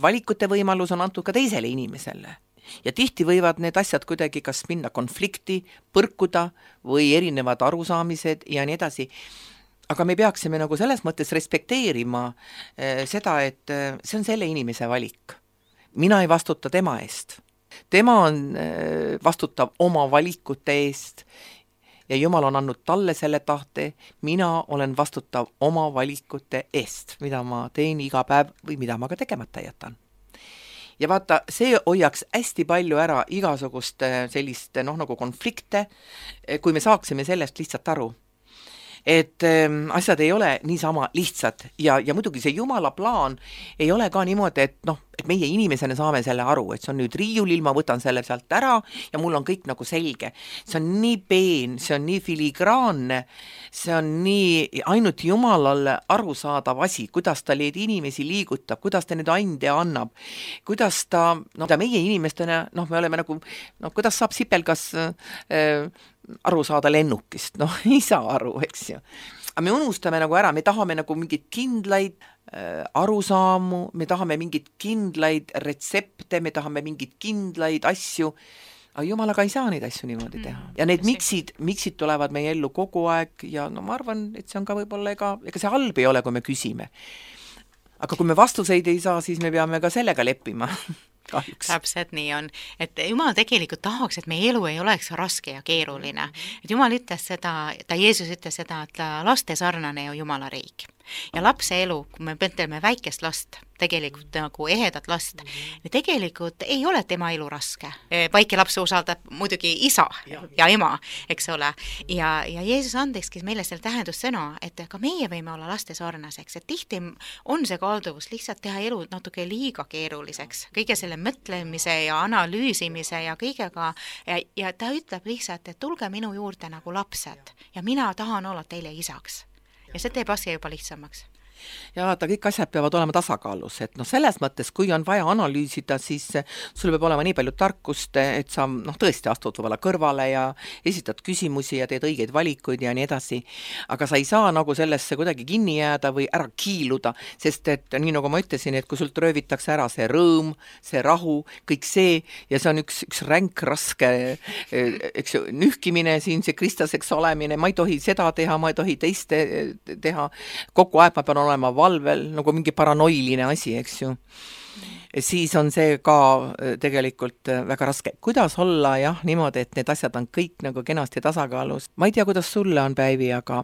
Speaker 5: valikute võimalus on antud ka teisele inimesele. Ja tihti võivad need asjad kuidagi kas minna konflikti, põrkuda või erinevad arusaamised ja nii edasi. Aga me peaksime nagu selles mõttes respekteerima seda, et see on selle inimese valik. Mina ei vastuta tema eest. Tema on vastutav oma valikute eest ja Jumal on andnud talle selle tahte. Mina olen vastutav oma valikute eest, mida ma teen iga päev või mida ma ka tegemata jätan. Ja vaata, see hoiaks hästi palju ära igasugust sellist nagu konflikte, kui me saaksime sellest lihtsalt aru. Et asjad ei ole niisama lihtsad ja muidugi see Jumala plaan ei ole ka niimoodi, et meie inimesena saame selle aru, et see on nüüd riiulil, ma võtan selle sealt ära ja mul on kõik nagu selge. See on nii peen, see on nii filigraanne, see on nii ainult Jumalale arusaadav asi, kuidas ta neid inimesi liigutab, kuidas ta neid ande annab, kuidas ta meie inimestena, me oleme nagu, kuidas saab sipelgas aru saada lennukist, ei saa aru, eks ju. Aga me unustame nagu ära, me tahame nagu mingid kindlaid arusaamu, me tahame mingid kindlaid retsepte, me tahame mingid kindlaid asju, aga Jumalaga ei saa neid asju niimoodi teha. Ja need miksid tulevad meie ellu kogu aeg ja no ma arvan, et see on ka võib-olla ega see halb ei ole, kui me küsime. Aga kui me vastuseid ei saa, siis me peame ka sellega leppima. Kahjuks.
Speaker 6: Täpselt nii on, et Jumal tegelikult tahaks, et meie elu ei oleks raske ja keeruline. Et Jumal ütles seda, Jeesus ütles seda, et laste sarnane ju Jumala riik. Ja lapse elu, kui me mõtleme väikest last, tegelikult nagu ehedat last, tegelikult ei ole tema elu raske. Väike laps usaldab muidugi isa ja ema, eks ole. Ja Jeesus andekski meile selle tähendussõna, et ka meie võime olla laste sarnaseks, et tihti on see kalduvus lihtsalt teha elu natuke liiga keeruliseks. Kõige selle mõtlemise ja analüüsimise ja kõigega ja ta ütleb lihtsalt, et tulge minu juurde nagu lapsed ja mina tahan olla teile isaks. Ja see teeb asja juba lihtsamaks.
Speaker 5: Ja vaata, kõik asjad peavad olema tasakaalus, et selles mõttes, kui on vaja analüüsida, siis sul peab olema nii palju tarkust, et sa tõesti astud võib-olla kõrvale ja esitad küsimusi ja teed õigeid valikuid ja nii edasi. Aga sa ei saa nagu sellesse kuidagi kinni jääda või ära kiiluda, sest et nii nagu ma ütlesin, et kui sult röövitakse ära see rõõm, see rahu, kõik see ja see on üks ränk, raske eks ju, nühkimine siin, see kristaseks olemine, ma ei tohi seda teha, ma ei tohi teist teha, kogu aeg ma pean olema valvel, nagu mingi paranoiline asi, eks ju. Siis on see ka tegelikult väga raske. Kuidas olla niimoodi, et need asjad on kõik nagu kenasti tasakaalus? Ma ei tea, kuidas sulle on, Päivi, aga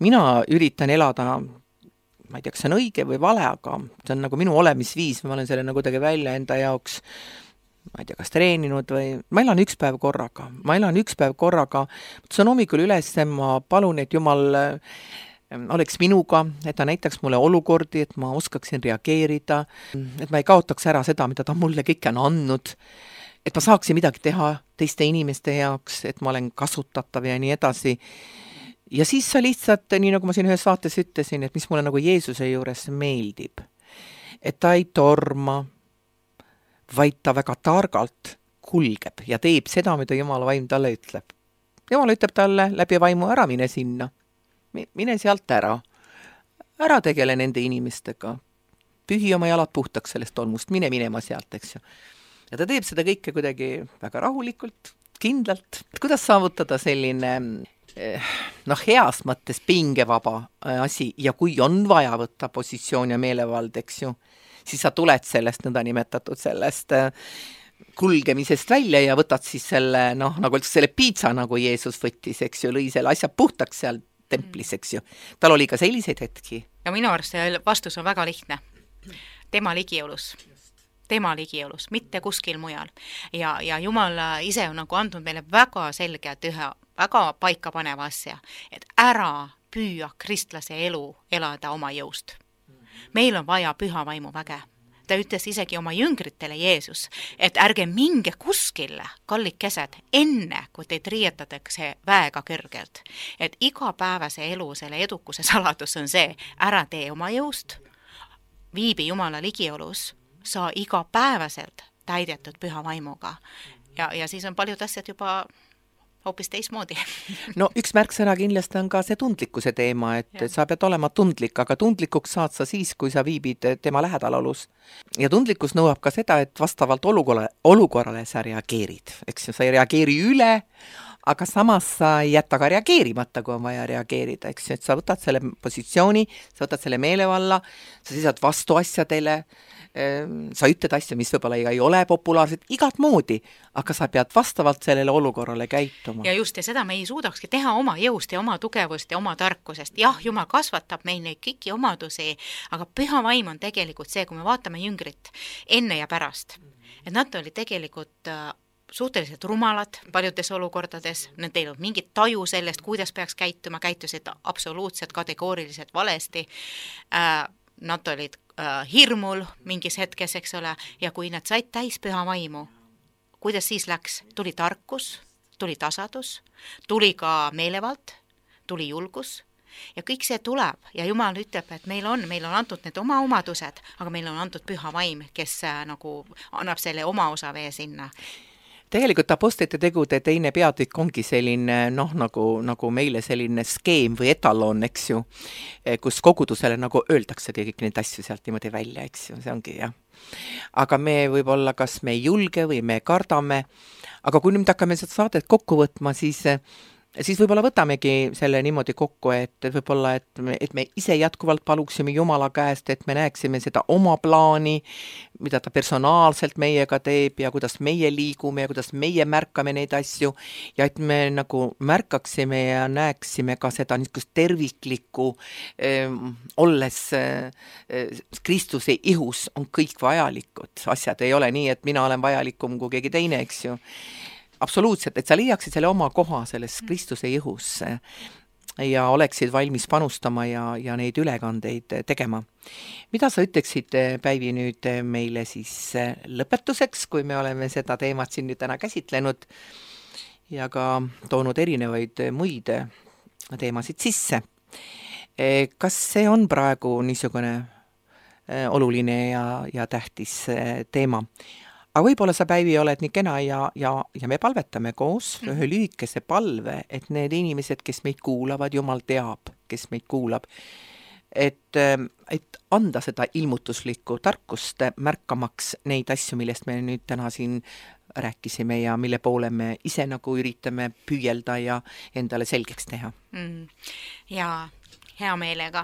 Speaker 5: mina üritan elada, ma ei tea, kas see on õige või vale, aga see on nagu minu olemisviis, ma olen selle nagu kuidagi välja enda jaoks ma ei tea, kas treeninud või ma elan üks päev korraga. See on hommikul üles, ma palun, et Jumal oleks minuga, et ta näitaks mulle olukordi, et ma oskaksin reageerida, et ma ei kaotaks ära seda, mida ta mulle kõike on andnud, et ma saaksin midagi teha teiste inimeste jaoks, et ma olen kasutatav ja nii edasi. Ja siis sa lihtsalt, nii nagu ma siin ühes saates ütlesin, et mis mulle nagu Jeesuse juures meeldib, et ta ei torma, vaid ta väga targalt kulgeb ja teeb seda, mida Jumala vaim talle ütleb. Jumal ütleb talle läbi vaimu, ära mine sinna. Mine sealt ära tegele nende inimestega, pühi oma jalad puhtaks sellest tolmust, mine minema sealt, eks ju. Ja ta teeb seda kõike kuidagi väga rahulikult, kindlalt. Kuidas saavutada selline heas mõttes pingevaba asi ja kui on vaja võtta positsioon ja meelevald, eks ju, siis sa tuled sellest nõndanimetatud sellest kulgemisest välja ja võtad siis selle, nagu selle piitsa, nagu Jeesus võttis, eks ju, lõi selle asja puhtaks seal templis, eks ju. Tal oli ka selliseid hetki.
Speaker 6: Ja minu arust see vastus on väga lihtne. Tema ligiolus, mitte kuskil mujal. Ja Jumal ise on nagu andnud meile väga selgelt ühe väga paika paneva asja, et ära püüa kristlase elu elada oma jõust. Meil on vaja püha vaimu väge. Ta ütles isegi oma jüngritele Jeesus, et ärge minge kuskile, kallikesed, enne kui teid riietatakse väega kõrgelt. Et igapäevase elu selle edukuse saladus on see, ära tee oma jõust, viibi Jumala ligiolus, saa igapäevaselt täidetud püha vaimuga. Ja siis on paljud asjad juba hoopis teismoodi.
Speaker 5: No üks märksõna kindlasti on ka see tundlikkuse teema, et sa pead olema tundlik, aga tundlikuks saad sa siis, kui sa viibid tema lähedalolus. Ja tundlikkus nõuab ka seda, et vastavalt olukorrale sa reageerid. Eks sa ei reageeri üle, aga samas sa ei jätta ka reageerimata, kui on vaja reageerida. Eks et sa võtad selle positsiooni, sa võtad selle meelevalla, sa seisad vastu asjadele, sa ütled asju, mis võib-olla ei ole populaarsed, igat moodi, aga sa pead vastavalt sellele olukorrale käituma.
Speaker 6: Ja just, ja seda me ei suudakski teha oma jõust ja oma tugevust ja oma tarkusest. Jah, Jumal kasvatab meil neid kõiki omadusi, aga püha vaim on tegelikult see, kui me vaatame jüngrit enne ja pärast. Et nad olid tegelikult suhteliselt rumalad paljudes olukordades, nad ei olnud mingit taju sellest, kuidas peaks käituma, käitusid absoluutselt kategooriliselt valesti. Nad olid hirmul mingis hetkes, eks ole, ja kui nad said täis püha vaimu, kuidas siis läks? Tuli tarkus, tuli tasadus, tuli ka meelevald, tuli julgus ja kõik see tuleb ja Jumal ütleb, et meil on antud need oma omadused, aga meil on antud püha vaim, kes nagu annab selle oma osa vee sinna.
Speaker 5: Tegelikult apostlite tegude teine peatükk ongi selline, nagu meile selline skeem või etalon, eks ju, kus kogudusele nagu öeldakse kõik neid asju sealt niimoodi välja, eks ju, see ongi, jah. aga me võib-olla, kas me ei julge või me kardame, aga kui nüüd hakkame seda saadet kokku võtma, siis võib-olla võtamegi selle niimoodi kokku, et võib-olla, et me ise jätkuvalt paluksime Jumala käest, et me näeksime seda oma plaani, mida ta personaalselt meiega teeb ja kuidas meie liigume ja kuidas meie märkame neid asju ja et me nagu märkaksime ja näeksime ka seda niisugust terviklikku, olles Kristuse ihus on kõik vajalikud. Asjad ei ole nii, et mina olen vajalikum kui keegi teine, eks ju. Absoluutselt, et sa leiaksid selle oma koha selles Kristuse ihus ja oleksid valmis panustama ja neid ülekandeid tegema. Mida sa ütleksid, Päivi, nüüd meile siis lõpetuseks, kui me oleme seda teemat siin nüüd täna käsitlenud ja ka toonud erinevaid muid teemasid sisse? Kas see on praegu niisugune oluline ja tähtis teema? Aga võib-olla sa, Päivi, oled nii kena ja me palvetame koos ühe lühikese palve, et need inimesed, kes meid kuulavad, Jumal teab, kes meid kuulab, et anda seda ilmutuslikku tarkust märkamaks neid asju, millest me nüüd täna siin rääkisime ja mille poole me ise nagu üritame püüelda ja endale selgeks teha.
Speaker 6: Jaa. Hea meelega.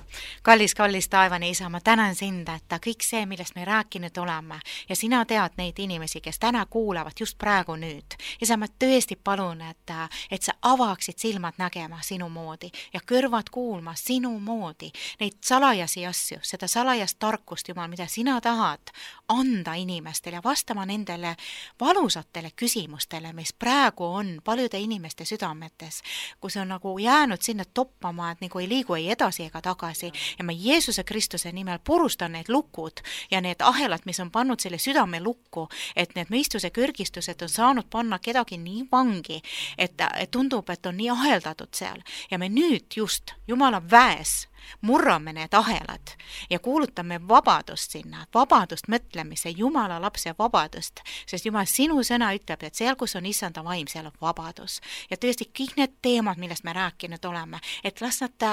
Speaker 6: Kallis taevane Isa, ma tänan sind, et kõik see, millest me rääkinud oleme ja sina tead neid inimesi, kes täna kuulavad just praegu nüüd. Isa, ma tõesti palun, et sa avaksid silmad nägema sinu moodi ja kõrvad kuulma sinu moodi neid salajasi asju, seda salajast tarkust, Jumal, mida sina tahad anda inimestele ja vastama nendele valusatele küsimustele, mis praegu on paljude inimeste südametes, kus on nagu jäänud sinna toppama, et nagu ei liigu ei edasi ega tagasi ja ma Jeesuse Kristuse nimel purustan need lukud ja need ahelad, mis on pannud selle südame lukku, et need mõistuse kõrgistused on saanud panna kedagi nii vangi, et tundub, et on nii aheldatud seal ja me nüüd just Jumala väes murrame need ahelad ja kuulutame vabadust sinna, vabadust mõtlemise, Jumala lapse vabadust, sest Jumal, sinu sõna ütleb, et seal, kus on issanda vaim, seal on vabadus. Ja tõesti kõik need teemad, millest me rääkinud oleme, et las nad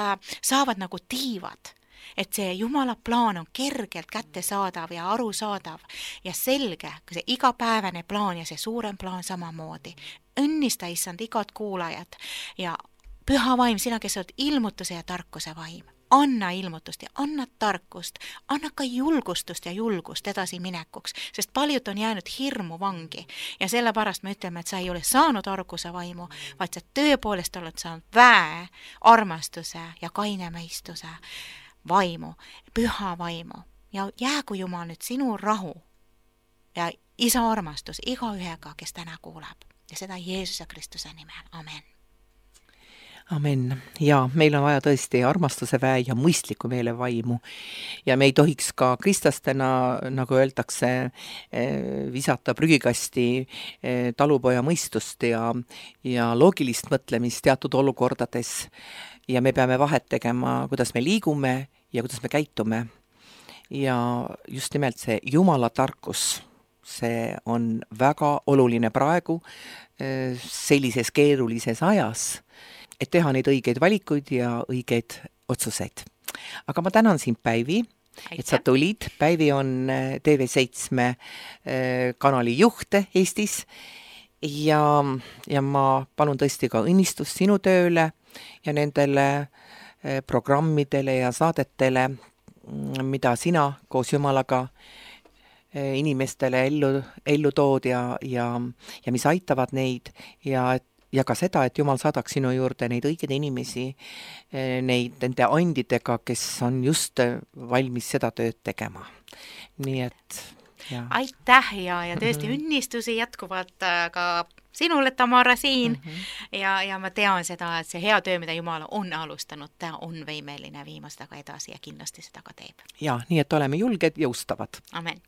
Speaker 6: saavad nagu tiivad, et see Jumala plaan on kergelt kättesaadav ja arusaadav ja selge, see igapäevane plaan ja see suurem plaan samamoodi. Õnnista, issand, igat kuulajat ja püha vaim, sina, kes oled ilmutuse ja tarkuse vaim. Anna ilmutust ja anna tarkust, anna ka julgustust ja julgust edasi minekuks, sest paljud on jäänud hirmu vangi ja sellepärast me ütleme, et sa ei ole saanud arguse vaimu, vaid sa tõepoolest oled saanud väe, armastuse ja kaine mõistuse vaimu, püha vaimu ja jäägu Jumal nüüd sinu rahu ja isa armastus igaühega, kes täna kuulab ja seda Jeesuse Kristuse nimel. Amen.
Speaker 5: Amen. Ja meil on vaja tõesti armastuse väe ja mõistliku meele vaimu. Ja me ei tohiks ka kristlastena, nagu öeldakse, visata prügikasti talupoja mõistust ja loogilist mõtlemist teatud olukordades. Ja me peame vahet tegema, kuidas me liigume ja kuidas me käitume. Ja just nimelt see Jumala tarkus, see on väga oluline praegu sellises keerulises ajas, et teha neid õigeid valikuid ja õigeid otsuseid. Aga ma tänan sind, Päivi, et sa tulid. Päivi on TV7 kanali juht Eestis ja ma palun tõesti ka õnnistust sinu tööle ja nendele programmidele ja saadetele, mida sina koos Jumalaga inimestele ellu tood ja mis aitavad neid ja ka seda, et Jumal saadaks sinu juurde neid õigeid inimesi, nende andidega, kes on just valmis seda tööd tegema. Nii et ja.
Speaker 6: Aitäh ja tõesti õnnistusi jätkuvalt ka sinule, Tamara, siin ja ma tean seda, et see hea töö, mida Jumal on alustanud, ta on võimeline viima seda ka edasi ja kindlasti seda ka teeb.
Speaker 5: Ja, nii et oleme julged ja ustavad.
Speaker 6: Amen.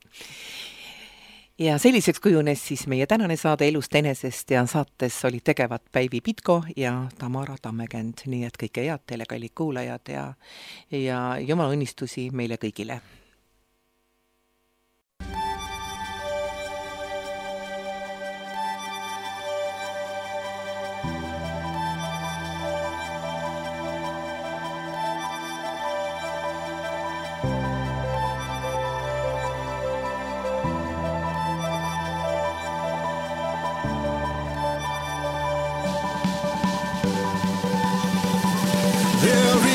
Speaker 5: Ja selliseks kujunes siis meie tänane saade Elust enesest ja saates olid tegevad Päivi Pitko ja Tamara Tammekend. Nii et kõike head teile, kallid kuulajad ja Jumala õnnistusi meile kõigile.
Speaker 2: There